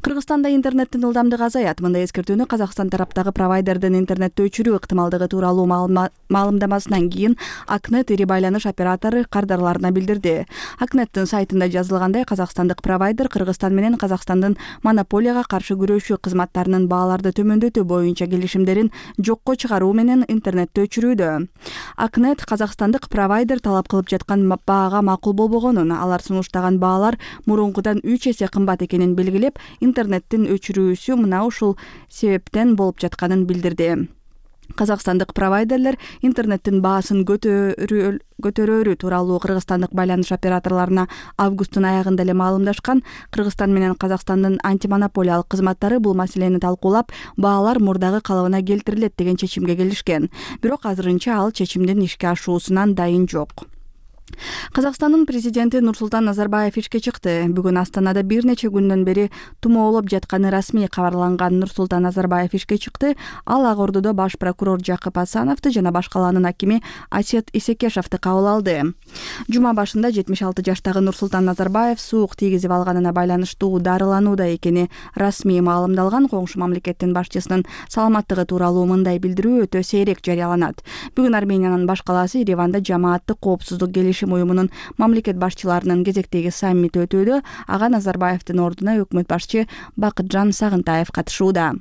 Кыргызстанда интернеттин ылдамдыгы азаят. Мындай эскертүүнү Казакстан тараптагы провайдердин интернетти өчүрүү ыктымалдыгы тууралуу маалымдамасынан кийин Акнет ири байланыш оператору кардарларына билдирди. Акнеттин сайтында жазылгандай, казакстандык провайдер Кыргызстан менен Казакстандын монополияга каршы күрөшүү кызматтарынын бааларды төмөндөтүү боюнча келишимдерин жокко чыгаруу менен интернетти өчүрүүдө. Акнет казакстандык провайдер талап кылып жаткан баага макул болбогонун, алар сунуштаган баалар мурункудан үч эсе кымбат экенин белгилеп, интернеттин өчүрүүсү мына ушул себептен болуп жатканын билдирди. Казакстандык провайдерлер интернеттин баасын көтөрөөрү тууралуу кыргызстандык байланыш операторлоруна августтун аягында эле маалымдашкан. Кыргызстан менен Казакстандын антимонополиялык кызматтары бул маселени талкуулап, баалар мурдагы калыбына келтирилет деген чечимге келишкен. Бирок азырынча ал чечимдин ишке ашуусунан дайын жок. Казакстандын президенти Нурсултан Назарбаев ишке чыкты. Бүгүн Астанада бир нече күндөн бери тумоолоп жатканы расмий кабарланган Нурсултан Назарбаев ишке чыкты. Ал Ак Ордодо баш прокурор Жакып Асановду жана баш калаанын акими Асет Исекешевди кабыл алды. Жума башында жетимиш алты жаштагы Нурсултан Назарбаев суук тийгизип алганына байланыштуу дарыланууда экени расмий маалымдалган. Коңшу мамлекеттин башчысынын саламаттыгы тууралуу мындай билдирүү өтө сейрек жарыяланат. Бүгүн Армениянын баш калаасы Ереванда жамааттык коопсуздук келишим уюмунун мамлекет башчыларынын кезектеги саммити өтүүдө. Ага Назарбаевдин ордуна өкмөт башчы Бакытжан Сагынтаев катышууда.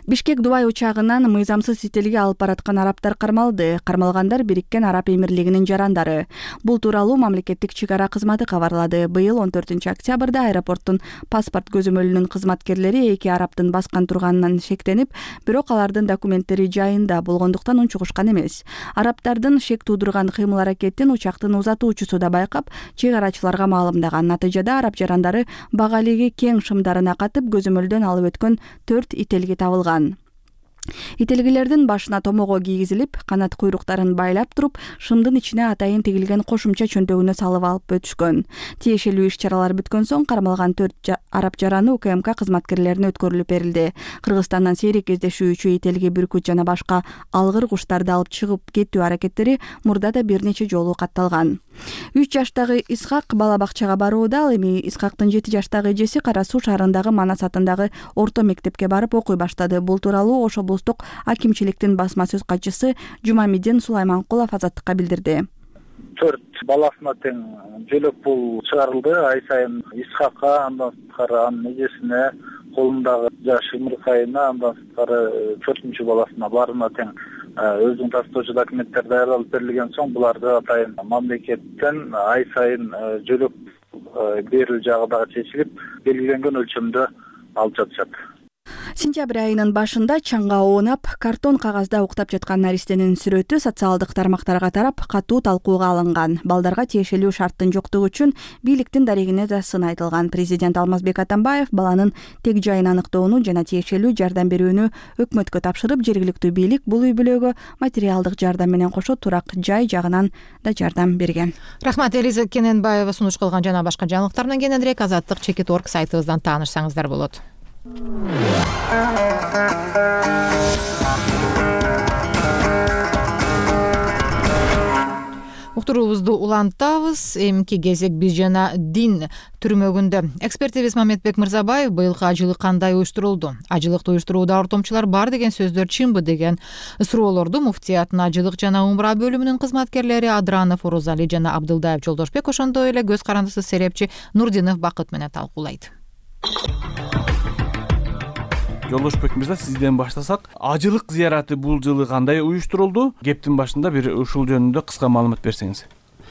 Бишкек Дубай учагынан мыйзамсыз ителге алып бараткан арабтар кармалды. Кармалгандар Бириккен Араб Эмирлигинин жарандары. Бул тууралуу мамлекеттик чек ара кызматы кабарлады. Быйыл он төртүнчү октябрда аэропорттун паспорт көзөмөлүнүн кызматкерлери эки арабтын баскан турганынан шектенип, бирок алардын документтери жайында болгондуктан унчугушкан эмес. Арабтардын шек туудурган кыймыл-аракетин учактын узатуучусу да байкап, чек арачыларга маалымдаган. Натыйжада араб жарандары багалиги кең шымдарына катып, көзөмөлдөн алып өткөн төрт ителги табылган. Ителгилердин башына томого кийгизилип, канат куйруктарын байлап туруп, шымдын ичине атайын тигилген кошумча чөнтөгүнө салып алып өтүшкөн. Тиешелүү иш-чаралар бүткөн соң кармалган төрт араб жараны УКМК кызматкерлерине өткөрүлүп берилди. Кыргызстандан сейрек кездешүүчү ителги, бүркүт жана башка алгыр куштарды алып чыгып кетүү аракеттери мурда да бир нече жолу катталган. үч жаштагы Исхак бала бакчага барууда. Ал эми Исхактын жети жаштагы эжеси Кара Суу шаарындагы Манас атындагы орто мектепке барып окуй баштады. Бул тууралуу Ош облустук акимчиликтин басма сөз катчысы Жумамидин Сулайманкулов Азаттыкка билдирди. Төрт баласына тең жөлөк пул чыгарылды. Ай сайын Исхакка, андан сырткары анын эжесине, колундагы жаш Имыркайына, андан сырткары төртүнчү баласына баарына тең өзүнүн тастоочу документтер даярдалып берилген соң буларды атайын мамлекеттен ай сайын жөлөк берүү жагы дагы чечилип, белгиленген өлчөмдө алып жатышат. Сентябрь айынын башында чаңга оонап, картон кагазда уктап жаткан наристенин сүрөтү социалдык тармактарга тарап, катуу талкууга алынган. Балдарга тиешелүү шарттын жоктугу үчүн бийликтин дарегине да сын айтылган. Президент Алмазбек Атамбаев баланын тег жайын аныктоону жана тиешелүү жардам берүүнү өкмөткө тапшырып, жергиликтүү бийлик бул үй бүлөгө материалдык жардам менен кошо турак жай жагынан да жардам берген. Рахмат, Элиза Кененбаева сунуш кылган жана башка жаңылыктар менен кененирээк азаттык чекит точка орг сайтыбыздан таанышсаңыздар болот. Уктуруубузду улантабыз. Эмки кезек биз жана дин түрмөгүндө. Экспертибиз Мамедбек Мырзабаев быйылкы ажылык кандай уюштурулду? Ажылыкты уюштурууда ортомчулар бар деген сөздөр чынбы деген суроолорду муфтияттын ажылык жана умра бөлүмүнүн кызматкерлери Адранов, Орозали жана Абдылдаев Жолдошбек ошондой эле көз карандысы серепчи Нурдинов Бакыт менен талкуулайт. Жолдошбек мырза, сизден баштасак, ажылык зыяраты бул жылы кандай уюштурулду? Кептин башында бир ушул жөнүндө кыска маалымат берсеңиз.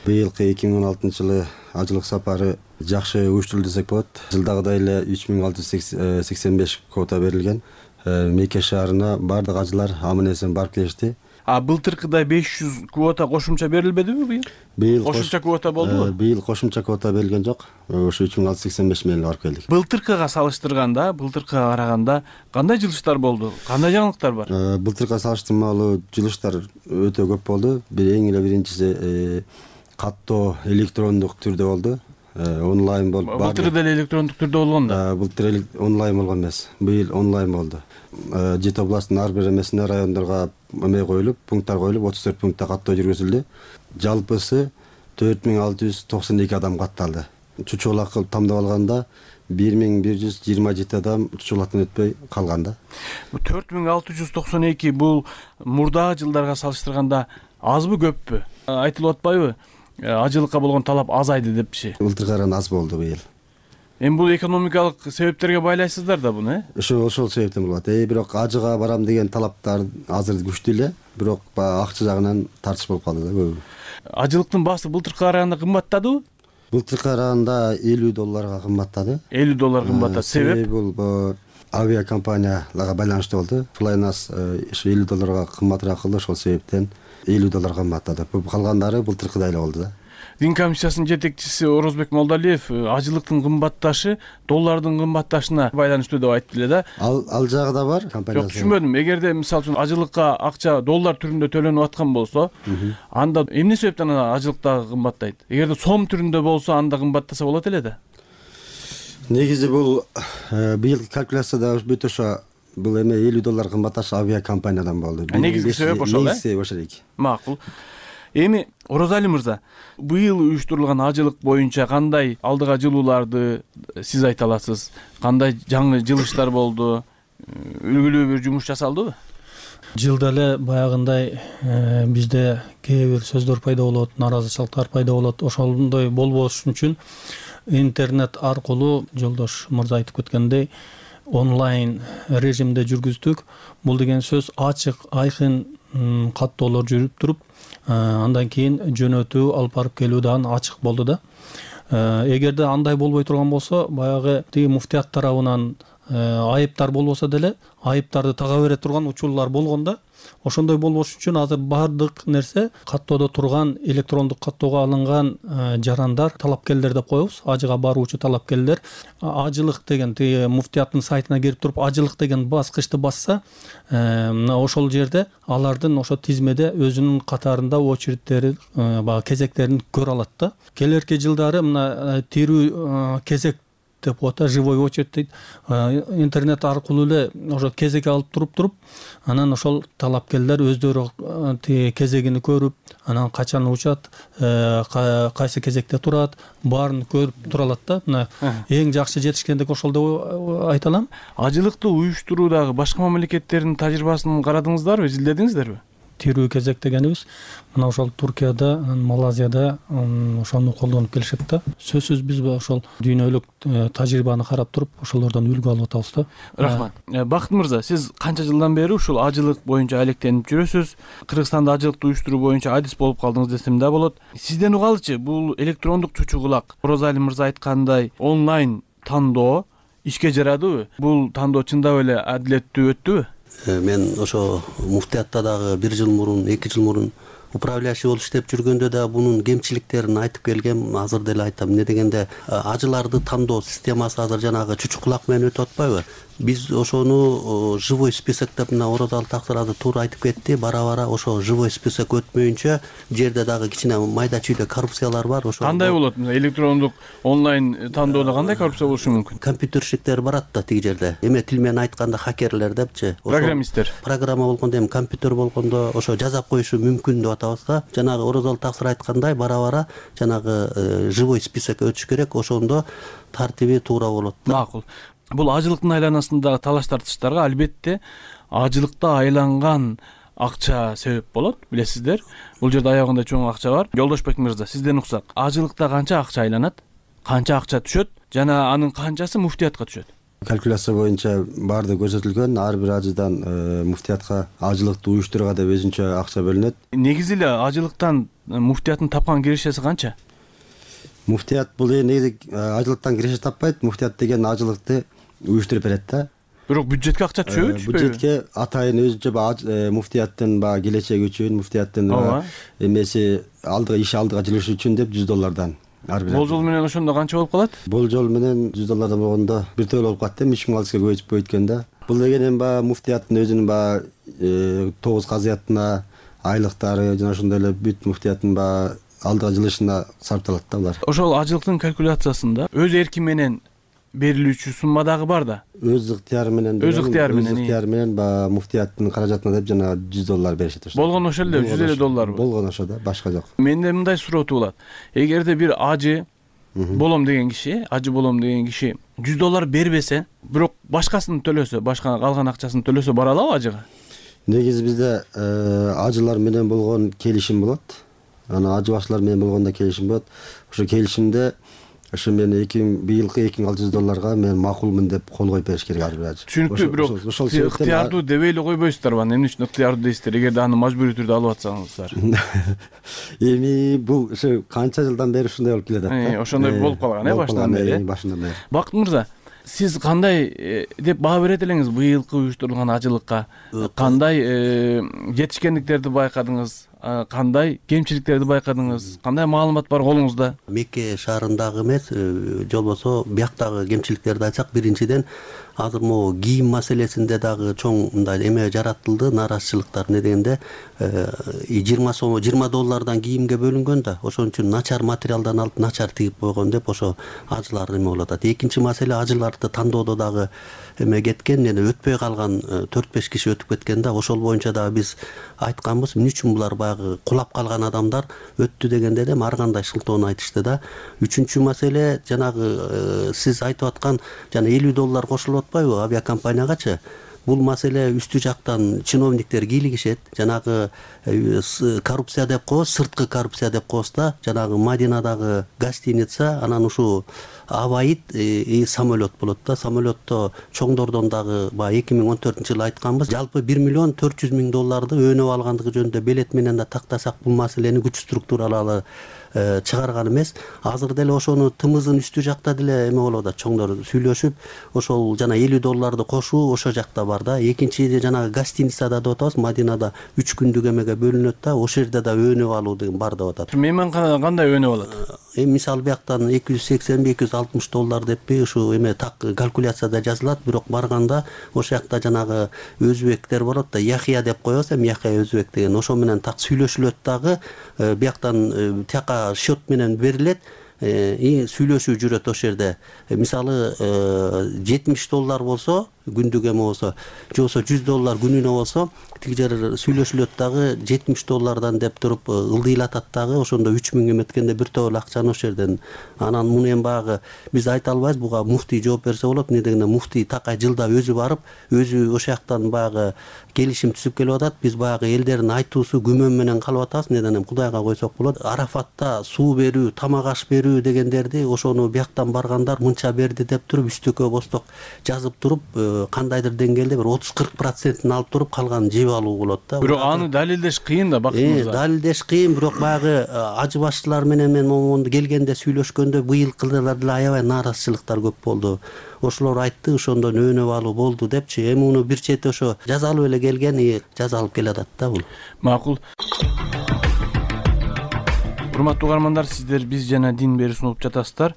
Быйылкы эки миң он алтынчы жылы ажылык сапары жакшы уюштурулду десек болот. Жылдагыдай эле үч миң алты жүз сексен беш квота берилген. Мекке шаарына бардык ажылар аман эсен барып келишти. А былтыркыдай беш жүз квота кошумча берилбедиби быйыл? Быйыл кошумча квота болдубу? Быйыл кошумча квота берилген жок. Ошо үч миң алты жүз сексен беш менен барып келдик. Былтыркыга салыштырганда, былтыркыга караганда кандай жылыштар болду? Кандай жаңылыктар бар? Былтыркыга салыштырмалуу жылыштар өтө көп болду. Бир эң эле биринчиси каттоо электрондук түрдө болду. Онлайн болуп. Былтыр деле электрондук түрдө болгон да. Былтыр онлайн болгон эмес. Быйыл онлайн болду. Жети областтын ар бир эмесине райондорго эме коюлуп, пункттар коюлуп, отуз төрт пунктта каттоо жүргүзүлдү. Жалпысы төрт миң алты жүз токсон эки адам катталды. Чучулак кылып тамдап алганда бир миң бир жүз жыйырма жети адам чучулактан өтпөй калган да. төрт миң алты жүз токсон эки бул мурдагы жылдарга салыштырганда азбы, көппү? Айтылып атпайбы? Ажылыкка болгон талап азайды депчи. Былтыркыга караганда аз болду быйыл. Эми бул экономикалык себептерге байлайсыздар да буну, э? Ошо ошол себептен болот. Э, бирок ажыга барам деген талаптар азыр күчтүү эле, бирок акча жагынан тартыш болуп калды да көбү. Ажылыктын баасы былтыркыга караганда кымбаттадыбы? Былтыркыга караганда элүү долларга кымбаттады. элүү доллар кымбаттады. Себеп? Бул авиакомпанияларга байланыштуу болду. Flynas ошо элүү долларга кымбатыраак кылды, ошол себептен элүү доллар кымбаттады. Калгандары былтыркыдай эле болду да. Дин комиссиясынын жетекчиси Орозбек Молдалиев ажылыктын кымбатташы доллардын кымбатташына байланыштуу деп айтты эле да. Ал ал жагы да бар компаниясы. Жок, түшүнбөдүм. Эгерде мисалы үчүн ажылыкка акча доллар түрүндө төлөнүп аткан болсо, анда эмне себептен ажылыкта кымбаттайт? Эгерде сом түрүндө болсо, анда кымбаттаса болот эле да. Негизи бул быйыл калькуляцияда бүт ошо бул эме элүү доллар кымбатташ авиакомпаниядан болду. Негизги себеп ошол, э? Негизги себеп ошол эки. Макул. Эми Орозали мырза, быйыл уюштурулган ажылык боюнча кандай алдыга жылууларды сиз айта аласыз? Кандай жаңы жылыштар болду? Үлгүлүү бир жумуш жасалдыбы? Жылда эле баягындай бизде кээ бир сөздөр пайда болот, наразычылыктар пайда болот. Ошондой болбош үчүн интернет аркылуу жолдош мырза айтып кеткендей онлайн режимде жүргүздүк. Бул деген сөз ачык, айкын каттоолор жүрүп туруп, андан кийин жөнөтүү, алып барып келүү дагы ачык болду да. Эгерде андай болбой турган болсо, баягы тиги муфтият тарабынан айыптар болбосо деле, айыптарды тага бере турган учурлар болгон да. Ошондой болбош үчүн азыр бардык нерсе каттоодо турган, электрондук каттоого алынган жарандар, талапкерлер деп коебуз, ажыга баруучу талапкерлер. Ажылык деген тиги муфтияттын сайтына кирип туруп, ажылык деген баскычты басса, мына ошол жерде алардын ошо тизмеде өзүнүн катарында очередтери, баягы кезектерин көрө алат да. Келерки жылдары мына тирүү кезек деп коет да, живой очередь дейт. Интернет аркылуу эле ошо кезек алып туруп туруп анан ошол талапкерлер өздөрү тиги кезегини көрүп, анан качан учат, кайсы кезекте турат, баарын көрүп тура алат да. Мына эң жакшы жетишкендик ошол деп айта алам. Ажылыкты уюштуруудагы башка мамлекеттердин тажрыйбасын карадыңыздарбы, изилдедиңиздерби? Тирүү кезек дегенибиз мына ошол Туркияда, Малайзияда ошону колдонуп келишет да. Сөзсүз биз ошол дүйнөлүк тажрыйбаны карап туруп, ошолордон үлгү алып атабыз да. Рахмат. Бакыт мырза, сиз канча жылдан бери ушул ажылык боюнча алектенип жүрөсүз? Кыргызстанда ажылыкты уюштуруу боюнча адис болуп калдыңыз десем да болот. Сизден угалычы, бул электрондук чучу кулак, Орозали мырза айткандай онлайн тандоо ишке жарадыбы? Бул тандоо чындап эле адилеттүү өттүбү? Мен ошо муфтиятта дагы бир жыл мурун, эки жыл мурун управляющий болуп иштеп жүргөндө да бунун кемчиликтерин айтып келгем. Азыр деле айтам. Эмне дегенде ажыларды тандоо системасы азыр жанагы чучу кулак менен өтүп атпайбы? Биз ошону живой список деп мына Орозалы Таксыр азыр туура айтып кетти. Бара-бара ошо живой список өтмөйүнчө жерде дагы кичине майда чүйдө коррупциялар бар. Ошо кандай болот? Электрондук онлайн тандоодо кандай коррупция болушу мүмкүн? Компьютерщиктер барат да тиги жерде. Эме тил менен айтканда хакерлер депчи. Программисттер. Программа болгондо эми компьютер болгондо ошо жазап коюшу мүмкүн деп атабыз да. Жанагы Орозалы Таксыр айткандай бара-бара жанагы живой список өтүш керек. Ошондо тартиби туура болот. Макул. Бул ажылыктын айланасындагы талаш тартыштарга албетте ажылыкта айланган акча себеп болот, билесиздер. Бул жерде аягында чоң акча бар. Жолдошбек мырза, сизден уксак, ажылыкта канча акча айланат? Канча акча түшөт жана анын канчасы муфтиятка түшөт? Калькуляция боюнча баарды көрсөтүлгөн. Ар бир ажыдан муфтиятка ажылыкты уюштурууга деп өзүнчө акча бөлүнөт. Негизи эле ажылыктан муфтияттын тапкан кирешеси канча? Муфтият бул негизи ажылыктан киреше таппайт. Муфтият деген ажылыкты уюштуруп берет да. Бирок бюджетке акча түшөбү, түшпөйбү? Бюджетке атайын өзүнчө муфтияттын баягы келечеги үчүн, муфтияттын эмеси алдыга иш алдыга жылышы үчүн деп жүз доллардан ар бир. Болжол менен ошондо канча болуп калат? Болжол менен жүз доллардан болгондо бир төлөп болуп калат да, үч миң алыска көбөйтүп көйткөн да. Бул деген эми баягы муфтияттын өзүнүн баягы тогуз казыятына, айлыктары жана ошондой эле бүт муфтияттын баягы алдыга жылышына сарпталат да булар. Ошол ажылыктын калькуляциясында өз эрки менен берилүүчү сумма дагы бар да. Өз ыктыяры менен. Өз ыктыяры менен. Өз ыктыяры менен баягы муфтияттын каражатына деп жана жүз доллар беришет ошо. Болгон ошол эле жүз элүү долларбы? Болгон ошо да, башка жок. Менде мындай суроо туулат. Эгерде бир ажы болом деген киши, ажы болом деген киши жүз доллар бербесе, бирок башкасын төлөсө, башка калган акчасын төлөсө бара алабы ажыга? Негизи бизде ажылар менен болгон келишим болот. Ана ажы башчылар менен болгондо келишим болот. Ошо келишимде ошо мен быйылкы эки миң алты жүз долларга мен макулмун деп кол коюп бериш керек ар бир ажы. Түшүнүктүү, бирок ыктыярдуу дебей эле койбойсуздарбы? Эмне үчүн ыктыярдуу дейсиздер, эгерде аны мажбурий түрдө алып атсаңыздар? Эми бул ошо канча жылдан бери ушундай болуп келе атат да. Ошондой болуп калган э башынан бери. Башынан бери. Бакыт мырза, сиз кандай деп баа берет элеңиз быйылкы уюштурулган ажылыкка? Кандай жетишкендиктерди байкадыңыз? Кандай кемчиликтерди байкадыңыз? Кандай маалымат бар колуңузда? Мекке шаарындагы эмес, жолбосо бияктагы кемчиликтерди айтсак, биринчиден азыр могу кийим маселесинде дагы чоң мындай эме жаратылды, нааразычылыктар. Не дегенде жыйырма сом, жыйырма доллардан кийимге бөлүнгөн да, ошон үчүн начар материалдан алып начар тигип койгон деп ошо ажылар эме болуп атат. Экинчи маселе, ажыларды тандоодо дагы эме кеткен, эне өтпөй калган төрт беш киши өтүп кеткен да. Ошол боюнча дагы биз айтканбыз, эмне үчүн булар баягы кулап калган адамдар өттү дегенде да ар кандай шылтоону айтышты да. Үчүнчү маселе, жанагы сиз айтып аткан жана элүү доллар кошулуп атпайбы авиакомпаниягачы? Бул маселе үстү жактан чиновниктер кийлигишет. Жанагы коррупция деп коебуз, сырткы коррупция деп коебуз да. Жанагы Мадинадагы гостиница, анан ушул аваид самолет болот да. Самолетто чоңдордон дагы баягы эки миң он төртүнчү жылы айтканбыз, жалпы бир миллион төрт жүз миң долларды өөнөп алгандыгы жөнүндө белет менен да тактасак, бул маселени күч структуралары чыгарган эмес. Азыр деле ошону тымызын үстү жакта деле эме болуп атат, чоңдор сүйлөшүп, ошол жана элүү долларды кошуу ошо жакта бар да. Экинчи жанагы гостиницада деп атабыз, Мадинада үч күндүк эмеге бөлүнөт да, ошол жерде да өөнөп алуу деген бар деп атат. Мейманканада кандай өөнөп алат? Эми мисалы бияктан эки жүз сексен, эки жүз алтымыш доллар деппи ушу эме так калькуляцияда жазылат, бирок барганда ошол жакта жанагы өзбектер болот да, Яхия деп коебуз, эми Яхия өзбек деген, ошо менен так сүйлөшүлөт дагы, бияктан тияка счет менен берилет. сүйлөшүү жүрөт ошол жерде. Мисалы жетимиш доллар болсо күндүк эме болсо, же болбосо жүз доллар күнүнө болсо, тиги жер сүйлөшүлөт дагы жетимиш доллардан деп туруп ылдыйлатат дагы, ошондо үч миң эметкенде бир топ эле акчаны ошол жерден. Анан муну эми баягы биз айта албайбыз, буга муфтий жооп берсе болот. Эмне дегенде муфтий такай жылда өзү барып, өзү ошол жактан баягы келишим түзүп келип атат. Биз баягы элдердин айтуусу күмөн менен калып атабыз. Эмнеден эми Кудайга койсок болот. Арафатта суу берүү, тамак аш берүү дегендерди ошону бияктан баргандар мынча берди деп туруп үстүккө босток жазып туруп, кандайдыр деңгээлде бир отуз кырк процентин алып туруп калганын жеп алуу болот да. Бирок аны далилдеш кыйын да, Бакыт мырза. Далилдеш кыйын, бирок баягы ажы башчылар менен мен момунду келгенде сүйлөшкөндө быйылкы жылдар деле аябай нааразычылыктар көп болду. Ошолор айтты, ошондон өөнөп алуу болду депчи. Эми муну бир чети ошо жазалып эле келген, жазалып келатат да бул. Макул. Урматтуу угармандар, сиздер Биз жана дин берүүсүн угуп жатасыздар.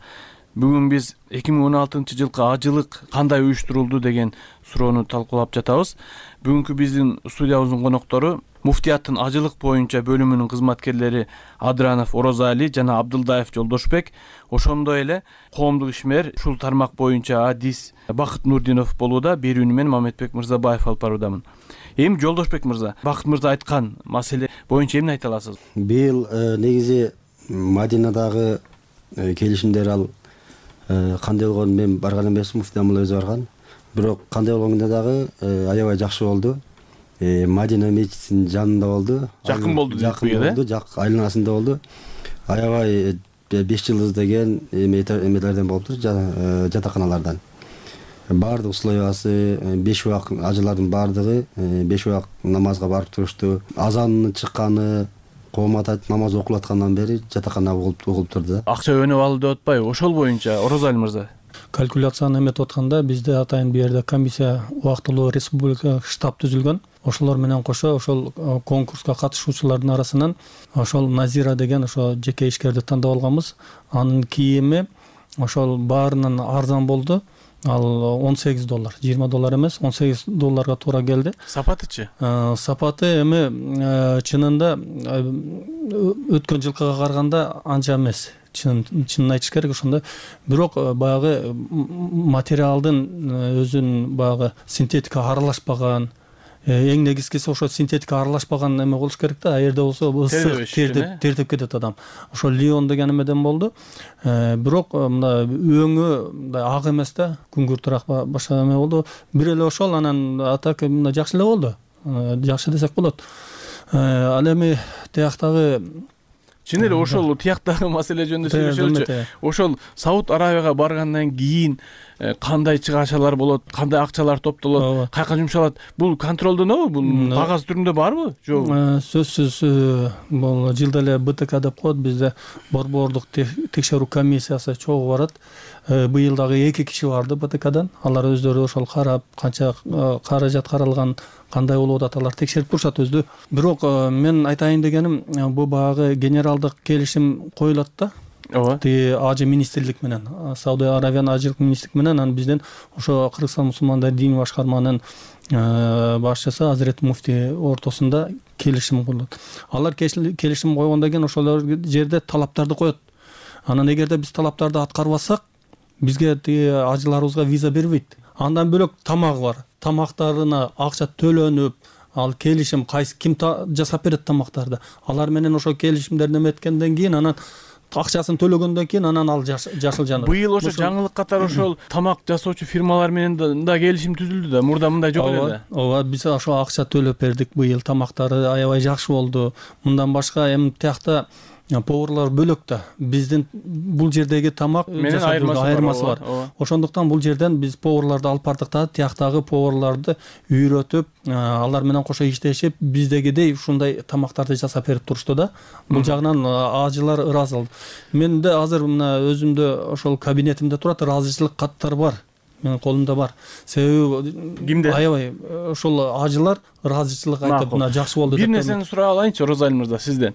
Бүгүн биз эки миң он алтынчы жылкы ажылык кандай уюштурулду деген суроону талкуулап жатабыз. Бүгүнкү биздин студиябыздын коноктору муфтияттын ажылык боюнча бөлүмүнүн кызматкерлери Адранов Орозали жана Абдылдаев Жолдошбек, ошондой эле коомдук ишмер ушул тармак боюнча адис Бакыт Нурдинов болууда. Берүүнү мен Мамедбек Мырзабаев алып баруудамын. Эми Жолдошбек мырза, Бакыт мырза айткан маселе боюнча эмне айта аласыз? Быйыл негизи Мадинадагы келишимдер ал кандай болгонун мен барган эмесмин, муфтий амал өзү барган. Бирок кандай болгондо дагы аябай жакшы болду. Мадина мечитинин жанында болду. Жакын болду дейт бу э? Жак айланасында болду. Аябай беш жылдыз деген эмелерден болуптур, жатаканалардан. Баардык условиясы, беш убак ажылардын баардыгы беш убак намазга барып турушту. Азанын чыкканы, коомат айтып намаз окулуп аткандан бери жатакана угулуп турду. Акча өнөп алуу деп атпайбы? Ошол боюнча Орозали мырза. Калькуляцияны эметип атканда бизде атайын бул жерде комиссия убактылуу республика штаб түзүлгөн. Ошолор менен кошо ошол конкурска катышуучулардын арасынан ошол Назира деген ошо жеке ишкерди тандап алганбыз. Анын кийими ошол баарынан арзан болду. Ал он сегиз доллар, жыйырма доллар эмес, он сегиз долларга туура келди. Сапатычы? Сапаты эми чынында өткөн жылкыга караганда анча эмес. Чынын айтыш керек ошондо. Бирок баягы материалдын өзүнүн баягы синтетика аралашпаган, эң негизгиси ошо синтетика аралашпаган эме болуш керек да. Аерде болсо ысык тертип тертип кетет адам. Ошо Лион деген эмеден болду. Бирок мына өңү мындай ак эмес да, күңгүртүрөөк башка эме болду. Бир эле ошол, анан атак мына жакшы эле болду. Жакшы десек болот. Ал эми тияктагы чын эле ошол тияктагы маселе жөнүндө сүйлөшөлүчү. Ошол Сауд Арабияга баргандан кийин кандай чыгашалар болот, кандай акчалар топтолот, каяка жумшалат? Бул контролдонобу? Бул кагаз түрүндө барбы? Жок. Сөзсүз бул жылда эле Б Т К деп коет, бизде борбордук текшерүү комиссиясы чогуу барат. Быйыл дагы эки киши барды Б Т Кдан. Алар өздөрү ошол карап, канча каражат каралган, кандай болуп атат, алар текшерип турушат өзү. Бирок мен айтайын дегеним, бул баягы генералдык келишим коюлат да. Ооба. Ти Ажы министрлик менен, Сауд Арабиянын ажылык министрлик менен, анан бизден ошо Кыргызстан мусулмандар дин башкарманын башчысы Азирет муфтий ортосунда келишим коюлат. Алар келишим койгондон кийин ошол жерде талаптарды коет. Анан эгерде биз талаптарды аткарбасак, бизге тиги ажыларыбызга виза бербейт. Андан бөлөк тамагы бар. Тамактарына акча төлөнүп, ал келишим кайсы ким жасап берет тамактарды. Алар менен ошо келишимдерди эметкенден кийин, анан акчасын төлөгөндөн кийин анан ал жашыл жаныр. Быйыл ошо жаңылык катары ошол тамак жасоочу фирмалар менен да келишим түзүлдү да. Мурда мындай жок эле да. Ооба, биз ошо акча төлөп бердик быйыл. Тамактары аябай жакшы болду. Мындан башка эми тиякта поварлар бөлөк да. Биздин бул жердеги тамак менен айырмасы бар. Ошондуктан бул жерден биз поварларды алып бардык да, тияктагы поварларды үйрөтүп, алар менен кошо иштешип, биздегидей ушундай тамактарды жасап берип турушту да. Бул жагынан ажылар ыраазы болду. Менде азыр мына өзүмдө ошол кабинетимде турат, ыраазычылык каттар бар. Менин колумда бар. Себеби кимде? Аябай ошол ажылар ыраазычылык айтып, мына жакшы болду деп. Бир нерсени сурап алайынчы Орозали мырза сизден.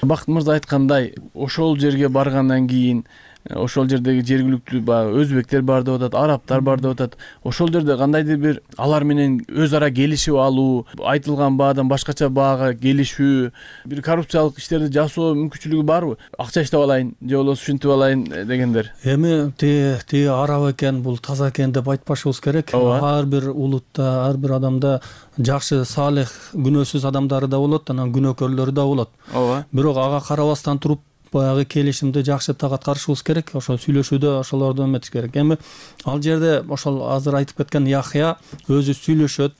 Бакыт мырза айткандай, ошол жерге баргандан кийин ошол жердеги жергиликтүү баягы өзбектер бар деп атат, арабтар бар деп атат. Ошол жерде кандайдыр бир алар менен өз ара келишип алуу, айтылган баадан башкача баага келишүү, бир коррупциялык иштерди жасоо мүмкүнчүлүгү барбы? Акча иштеп алайын же болбосо ушинтип алайын дегендер. Эми тиги араб экен, бул таза экен деп айтпашыбыз керек. Ар бир улутта, ар бир адамда жакшы, салих, күнөөсүз адамдары да болот, анан күнөөкөрлөрү да болот. Ооба. Бирок ага карабастан туруп баягы келишимди жакшы так аткарышыбыз керек, ошол сүйлөшүүдө ошолорду эметиш керек. Эми ал жерде ошол азыр айтып кеткен Яхья өзү сүйлөшөт.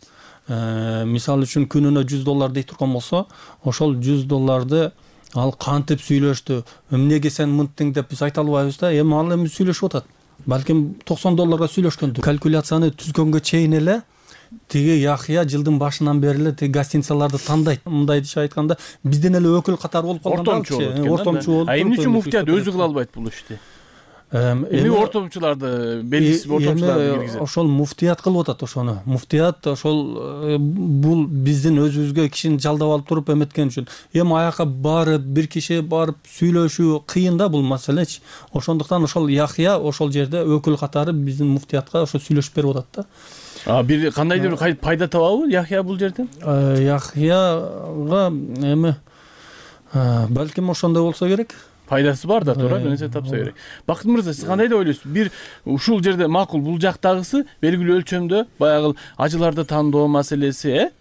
Мисалы үчүн күнүнө жүз доллар дей турган болсо, ошол жүз долларды ал кантип сүйлөштү, эмнеге сен мынттың деп биз айта албайбыз да. Эми ал эми сүйлөшүп атат. Балким токсон долларга сүйлөшкөндүр. Калькуляцияны түзгөнгө чейин эле тиги Яхья жылдын башынан бери эле тиги гостиницаларды тандайт. Мындайча айтканда, бизден эле өкүл катары болуп калган. Ортомчу болуп. А эмне үчүн муфтият өзү кыла албайт бул ишти? Эми ортомчуларды, белгисиз ортомчуларды киргизет. Ошол муфтият кылып атат ошону. Муфтият ошол бул биздин өзүбүзгө кишини жалдап алып туруп эметкен үчүн. Эми аяка барып, бир киши барып сүйлөшүү кыйын да бул маселечи. Ошондуктан ошол Яхья ошол жерде өкүл катары биздин муфтиятка ошо сүйлөшүп берип атат да. А бир кандайдыр бир пайда табабы Яхья бул жерден? Яхьяга эми балким ошондой болсо керек. Пайдасы бар да, туура, нерсе тапса керек. Бакыт мырза, сиз кандай деп ойлойсуз? Бир ушул жерде макул, бул жактагысы белгилүү өлчөмдө баягы ажыларды тандоо маселеси, э?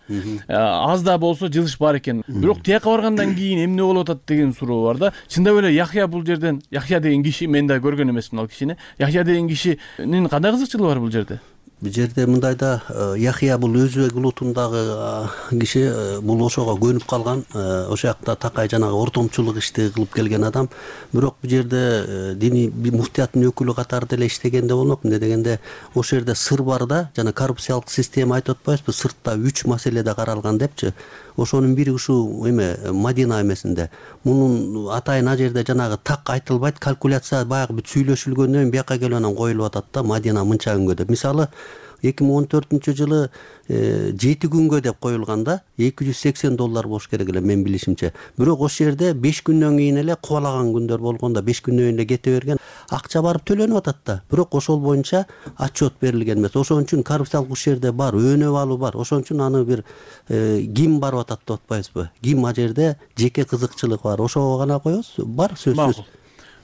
Аз да болсо жылыш бар экен. Бирок тияка баргандан кийин эмне болуп атат деген суроо бар да. Чындап эле Яхья бул жерден, Яхья деген киши, мен да көргөн эмесмин ал кишини. Яхья деген кишинин кандай кызыкчылыгы бар бул жерде? Бул жерде мындай да, Яхья бул өзбек улутундагы киши, бул ошого көнүп калган, ошол жакта такай жанагы ортомчулук ишти кылып келген адам. Бирок бул жерде диний муфтияттын өкүлү катары деле иштегенде болмок. Эмне дегенде, ошол жерде сыр бар да, жана коррупциялык система айтып атпайбызбы, сыртта үч маселеде каралган депчи. Ошонун бири ушул эме Мадина эмесинде. Мунун атайын а жерде жанагы так айтылбайт, калькуляция баягы бүт сүйлөшүлгөндөн кийин бияка келип анан коюлуп атат да, Мадина мынча күнгө деп. Мисалы, эки миң он төртүнчү жылы жети күнгө деп коюлган да, эки жүз сексен доллар болуш керек эле мен билишимче. Бирок ошол жерде беш күндөн кийин эле кубалаган күндөр болгондо беш күндөн кийин эле кете берген. Акча барып төлөнүп атат да. Бирок ошол боюнча отчет берилген эмес. Ошон үчүн коррупциялык иш жерде бар, өөнөп алуу бар. Ошон үчүн аны бир ким барып атат деп атпайбызбы? Ким а жерде жеке кызыкчылык бар. Ошого гана коебуз. Бар сөзсүз.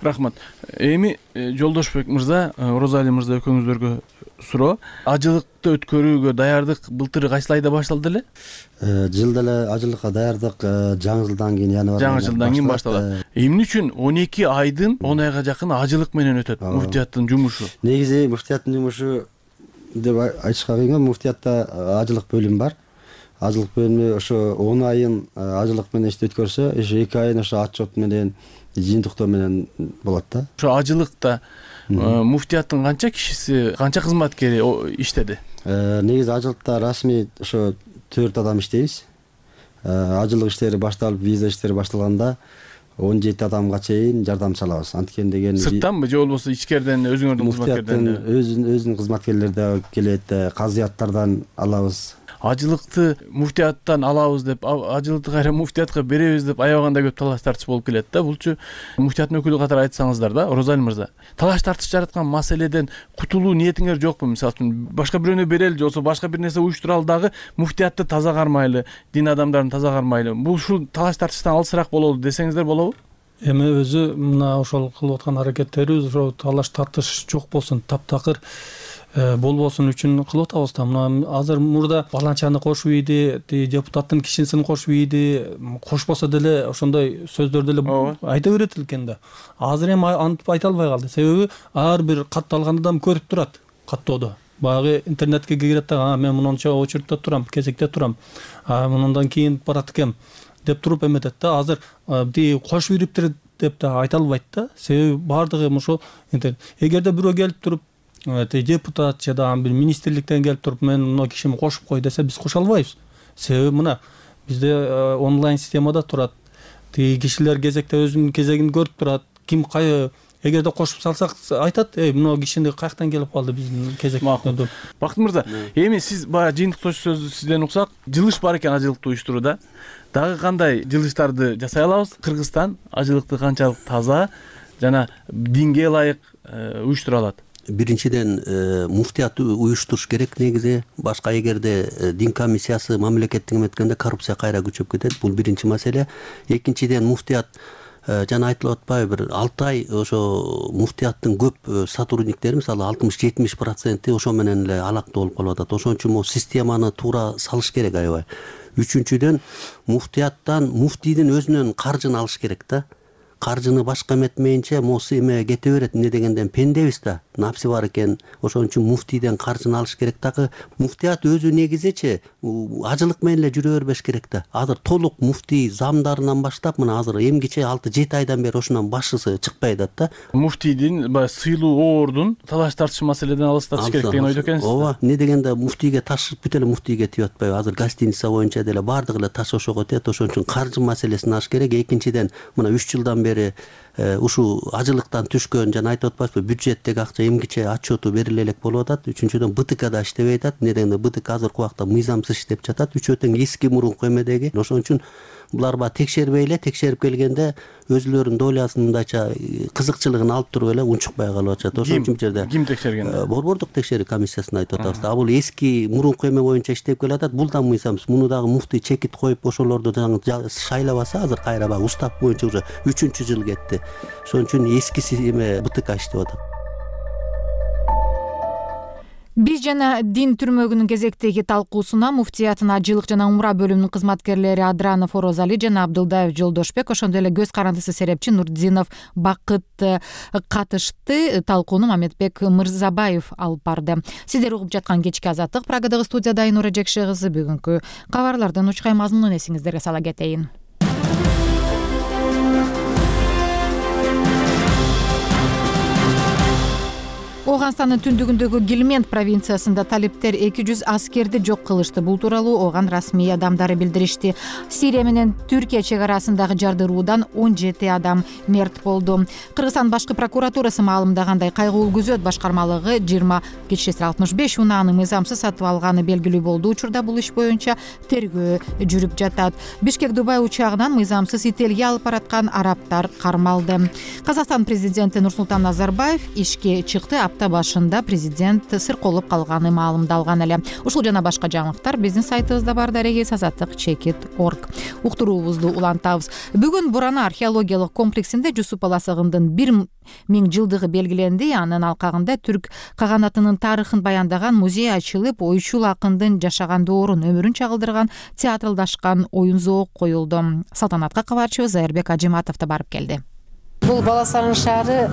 Рахмат. Эми Жолдошбек мырза, Орозали мырза экөөңүздөргө суроо. Ажылыкты өткөрүүгө даярдык былтыр кайсыл айда башталды эле? Жылда эле ажылыкка даярдык жаңы жылдан кийин, январь жаңы жылдан кийин башталат. Эмне үчүн он эки айдын он айга жакын ажылык менен өтөт муфтияттын жумушу? Негизи муфтияттын жумушу деп айтышка кыйын. Муфтиятта ажылык бөлүмү бар. Ажылык бөлүмү ошо он айын ажылык менен ишти өткөрсө, ошо эки айын ошо отчет менен, жыйынтыктоо менен болот да. Ошо ажылыкта муфтияттын канча кишиси, канча кызматкери иштеди? Негизи ажылыкта расмий ошо төрт адам иштейбиз. Ажылык иштери башталып, виза иштери башталганда он жети адамга чейин жардамчы алабыз. Анткени деген сырттанбы же болбосо ичкериден, өзүңөрдүн кызматкерлерден? Өзүнүн өзүнүн кызматкерлери да келет, казыяттардан алабыз. Ажылыкты муфтияттан алабыз деп, ажылыкты кайра муфтиятка беребиз деп аябаганда көп талаш тартыш болуп келет да. Булчу муфтияттын өкүлү катары айтсаңыздар да, Орозали мырза. Талаш тартыш жараткан маселеден кутулуу ниетиңер жокпу? Мисалы үчүн башка бирөөнө берели же болбосо башка бир нерсе уюштуралы дагы муфтиятты таза кармайлы, дин адамдарын таза кармайлы. Бул ушул талаш тартыштан алысыраак бололу десеңиздер болобу? Эми өзү мына ошол кылып аткан аракеттерибиз ошо талаш тартыш жок болсун, таптакыр болбосун үчүн кылып атабыз да. Мына азыр мурда баланчаны кошуп ийди, депутаттын кишисин кошуп ийди, кошпосо деле ошондой сөздөр деле айта берет экен да. Азыр эми антип айта албай калды. Себеби ар бир катты алган адам көрүп турат каттоодо. Баягы интернетке кирет да, мен мынча очередте турам, кезекте турам, мындан кийин барат экем деп туруп эметет да. Азыр тиги кошуп ийриптир деп да айта албайт да. Себеби баардыгы ошо интернет. Эгерде бирөө келип туруп депутат же да бир министрликтен келип туруп мен мына кишими кошуп кой десе, биз кошо албайбыз. Себеби мына бизде онлайн системада турат. Тиги кишилер кезекте өзүнүн кезегин көрүп турат. Ким кай эгерде кошуп салсак айтат, эй мына кишини каяктан келип калды биздин кезектен. Бакыт мырза, эми сиз баягы жыйынтыктоочу сөздү сизден уксак, жылыш бар экен ажылыкты уюштурууда. Дагы кандай жылыштарды жасай алабыз? Кыргызстан ажылыкты канчалык таза жана динге ылайык уюштура алат? Биринчиден муфтият уюштуруш керек негизи. Башка эгерде дин комиссиясы мамлекеттик эметкенде коррупция кайра күчөп кетет. Бул биринчи маселе. Экинчиден муфтият жана айтылып атпайбы, бир алты ай ошо муфтияттын көп сотрудниктери, мисалы алтымыш жетимиш проценти ошо менен эле алакта болуп калып атат. Ошон үчүн могу системаны туура салыш керек аябай. Үчүнчүдөн муфтияттан муфтийдин өзүнөн каржыны алыш керек да. Каржыны башка эметмейинче моусу эме кете берет. Эмне дегенден пендебиз да, напси бар экен. Ошон үчүн муфтийден каржыны алыш керек. Дагы муфтият өзү негизичи ажылык менен эле жүрө бербеш керек да. Азыр толук муфтий замдарынан баштап мына азыр эмгиче алты жети айдан бери ошонун башчысы чыкпай атат да. Муфтийдин баягы сыйлуу оордун талаш тартыш маселеден алыстатыш керек деген ойдо экенсиз. Ооба, эмне дегенде муфтийге таш бүт эле муфтийге тип атпайбы. Азыр гостиница боюнча деле бардыгы эле таш ошого тиет. Ошон үчүн каржы маселесин аш керек. Экинчиден мына үч жылдан бери ушул ажылыктан түшкөн жана айтып атпайсызбы, бюджеттеги акча эмгиче отчету бериле элек болуп атат. Үчүнчүдөн БТКда иштебей атат. Эмне дегенде БТК азыркы убакта мыйзамсыз иштеп жатат. Үчөө тең эски мурунку эмедеги. Ошон үчүн булар ба текшербей эле, текшерип келгенде өзүлөрүнүн долясын мындайча кызыкчылыгын алып туруп эле унчукпай калып атышат. Ошон үчүн жерде ким текшерген? Борбордук текшерүү комиссиясына айтып атабыз. А бул эски мурунку эме боюнча иштеп келатат. Бул да мыйзамсыз. Муну дагы муфтий чекит коюп ошолорду шайлабаса, азыр кайра баягы устав боюнча уже үчүнчү жыл кетти. Ошон үчүн эскиси эме БТК иштеп атат. Биз жана дин түрмөгүнүн кезектеги талкуусуна муфтиятын ажылык жана умра бөлүмүнүн кызматкерлери Адранов Орозали жана Абдылдаев Жолдошбек, ошондой эле көз карандысы серепчи Нурдинов Бакыт катышты. Талкууну Мамедбек Мырзабаев алып барды. Сиздер угуп жаткан кечки Азаттык. Прагадагы студияда Айнура Жекше кызы. Бүгүнкү кабарлардын учкай мазмунун эсиңиздерге сала кетейин. Оганстандын түндүгүндөгү Гельманд провинциясында талиптер эки жүз аскерди жок кылышты. Бул тууралуу Оган расмий адамдары билдиришти. Сирия менен Түркия чек арасындагы жардыруудан он жети адам мерт болду. Кыргызстан башкы прокуратурасы маалымдагандай, кайгылуу күзөт башкармалыгы жыйырма кечээси алтымыш беш унааны мыйзамсыз сатып алганы белгилүү болду. Учурда бул иш боюнча тергөө жүрүп жатат. Бишкек Дубай учагынан мыйзамсыз ителге алып бараткан арабтар кармалды. Казакстан президенти Нурсултан Назарбаев ишке чыкты. Апта башында президент сырколуп калганы маалымдалган эле. Ушул жана башка жаңылыктар биздин сайтыбызда бар. Дарегиз азаттык чекит точка орг. Уктуруубузду улантабыз. Бүгүн Бурана археологиялык комплексинде Жусуп Баласагындын бир миң жылдыгы белгиленди. Анын алкагында түрк каганатынын тарыхын баяндаган музей ачылып, ойчул акындын жашаган доорун, өмүрүн чагылдырган театралдашкан оюн зоок коюлду. Салтанатка кабарчыбыз Зайырбек Ажиматов да барып келди. Бул Баласагын шаары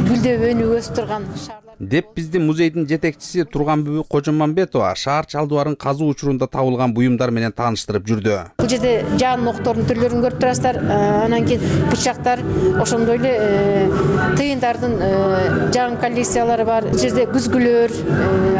гүлдөп өнүп өсүп турган шаарлар деп биздин музейдин жетекчиси Турганбүбү Кожомамбетова шаар чалдубарын казуу учурунда табылган буюмдар менен тааныштырып жүрдү. Бул жерде жан октордун түрлөрүн көрүп турасыздар. Анан кийин бычактар, ошондой эле тыйындардын жан коллекциялары бар. Бул жерде күзгүлөр,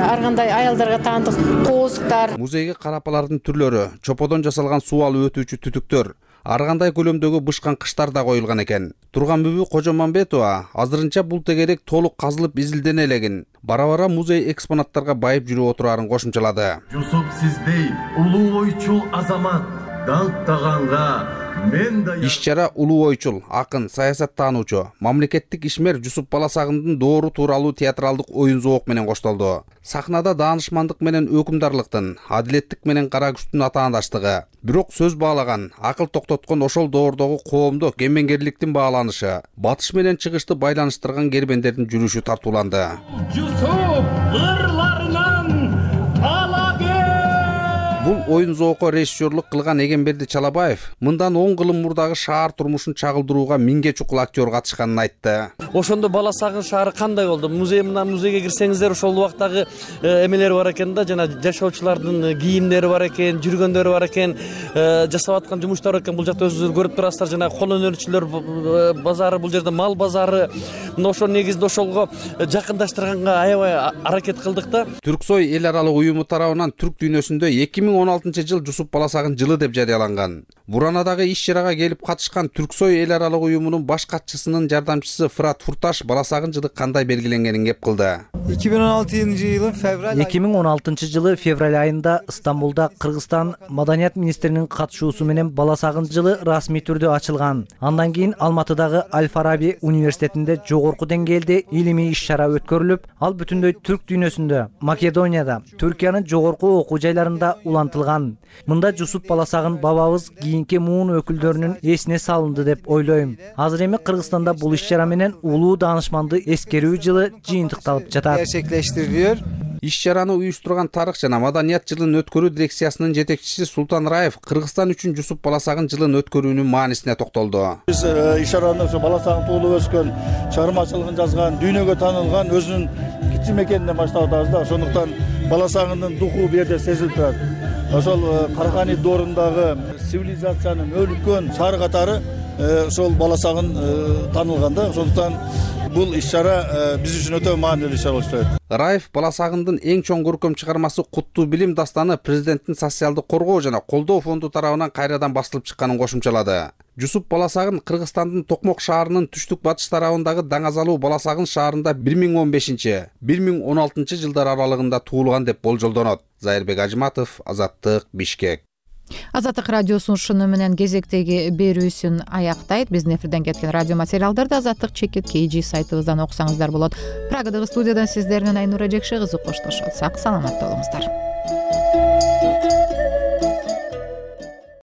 ар кандай аялдарга таандык кооздуктар. Музейге карапалардын түрлөрү, чоподон жасалган суу алып өтүүчү түтүктөр, ар кандай көлөмдөгү бышкан кыштар да коюлган экен. Турганбүбү Кожомамбетова азырынча бул тегерек толук казылып изилдене элегин, бара-бара музей экспонаттарга байып жүрүп отурарын кошумчалады. Жусуп сиздей улуу ойчул азамат даңктаганга мен да иш-чара улуу ойчул, акын, саясаттануучу, мамлекеттик ишмер Жусуп Баласагындын доору тууралуу театралдык оюн зоок менен коштолду. Сахнада даанышмандык менен өкүмдарлыктын, адилеттик менен кара күчтүн атаандаштыгы, бирок сөз баалаган, акыл токтоткон ошол доордогу коомдук кемеңгерликтин бааланышы, батыш менен чыгышты байланыштырган кербендердин жүрүшү тартууланды. Жусуп ырларынан Бул оюн зоокко режиссерлук кылган Эгемберди Чалабаев мындан он кылым мурдагы шаар турмушун чагылдырууга миңге чукул актер катышканын айтты. Ошондо Баласагын шаары кандай болду? Музей менен музейге кирсеңиздер ошол убактагы эмелер бар экен да, жана жашоочулардын кийимдери бар экен, жүргөндөрү бар экен, жасап аткан жумуштар экен. Бул жакта өзүңүздөр көрүп турасыздар, жана кол өнөрчүлөр базары, бул жерде мал базары. Ошол негизинде ошолго жакындаштырганга аябай аракет кылдык да. Түрксой эл аралык уюму тарабынан түрк дүйнөсүндө эки миң он алтынчы жыл Жусуп Баласагын жылы деп жарыяланган. Буранадагы иш чарага келип катышкан Түрксой эл аралык уюмунун баш катчысынын жардамчысы Фырат Фурташ баласагын жылы кандай белгиленгенин кеп кылды. эки миң он алтынчы жылы февраль эки миң он алтынчы жылы февраль айында Стамбулда Кыргызстан маданият министринин катышуусу менен баласагын жылы расмий түрдө ачылган. Андан кийин Алматыдагы Аль-Фараби университетинде жогорку деңгээлде илимий иш чара өткөрүлүп, ал бүтүндөй түрк дүйнөсүндө, Македонияда, Түркиянын жогорку окуу жайларында улантылган. Мында Жусуп Баласагын бабабыз кийинки муун өкүлдөрүнүн эсине салынды деп ойлойм. Азыр эми Кыргызстанда бул иш чара менен улуу даанышманды эскерүү жылы жыйынтыкталып жатат. Gerçekleştiriliyor. Иш чараны уюштурган тарых жана маданият жылын өткөрүү дирекциясынын жетекчиси Султан Раев Кыргызстан үчүн Жусуп Баласагын жылын өткөрүүнүн маанисине токтолду. Биз иш чараны ошо Баласагын туулуп өскөн, чыгармачылыгын жазган, дүйнөгө таанылган өзүнүн кичи мекенинен баштап атабыз да. Ошондуктан Баласагындын духу бу жерде сезилип турат. Ошол Каракани доорундагы цивилизациянын өлүккөн шаары катары ошол Баласагын таанылган да. Ошондуктан бул иш чара биз үчүн өтө маанилүү иш чара болуп турат. Раев Баласагындын эң чоң көркөм чыгармасы Куттуу билим дастаны президенттин социалдык коргоо жана колдоо фонду тарабынан кайрадан басылып чыкканын кошумчалады. Жусуп Баласагын Кыргызстандын Токмок шаарынын түштүк батыш тарабындагы Даңазалуу Баласагын шаарында бир миң он бешинчи — бир миң он алтынчы жылдар аралыгында туулган деп болжолдонот. Зайырбек Ажыматов, Азаттык, Бишкек. Азаттык радиосунун ушуну менен кезектеги берүүсүн аяктайт. Биздин эфирден кеткен радио материалдарды Азаттык чекит кей жи сайтыбыздан окусаңыздар болот. Прагадагы студиядан сиздер менен Айнура Жекши кызы коштошот. Сак саламатта болуңуздар.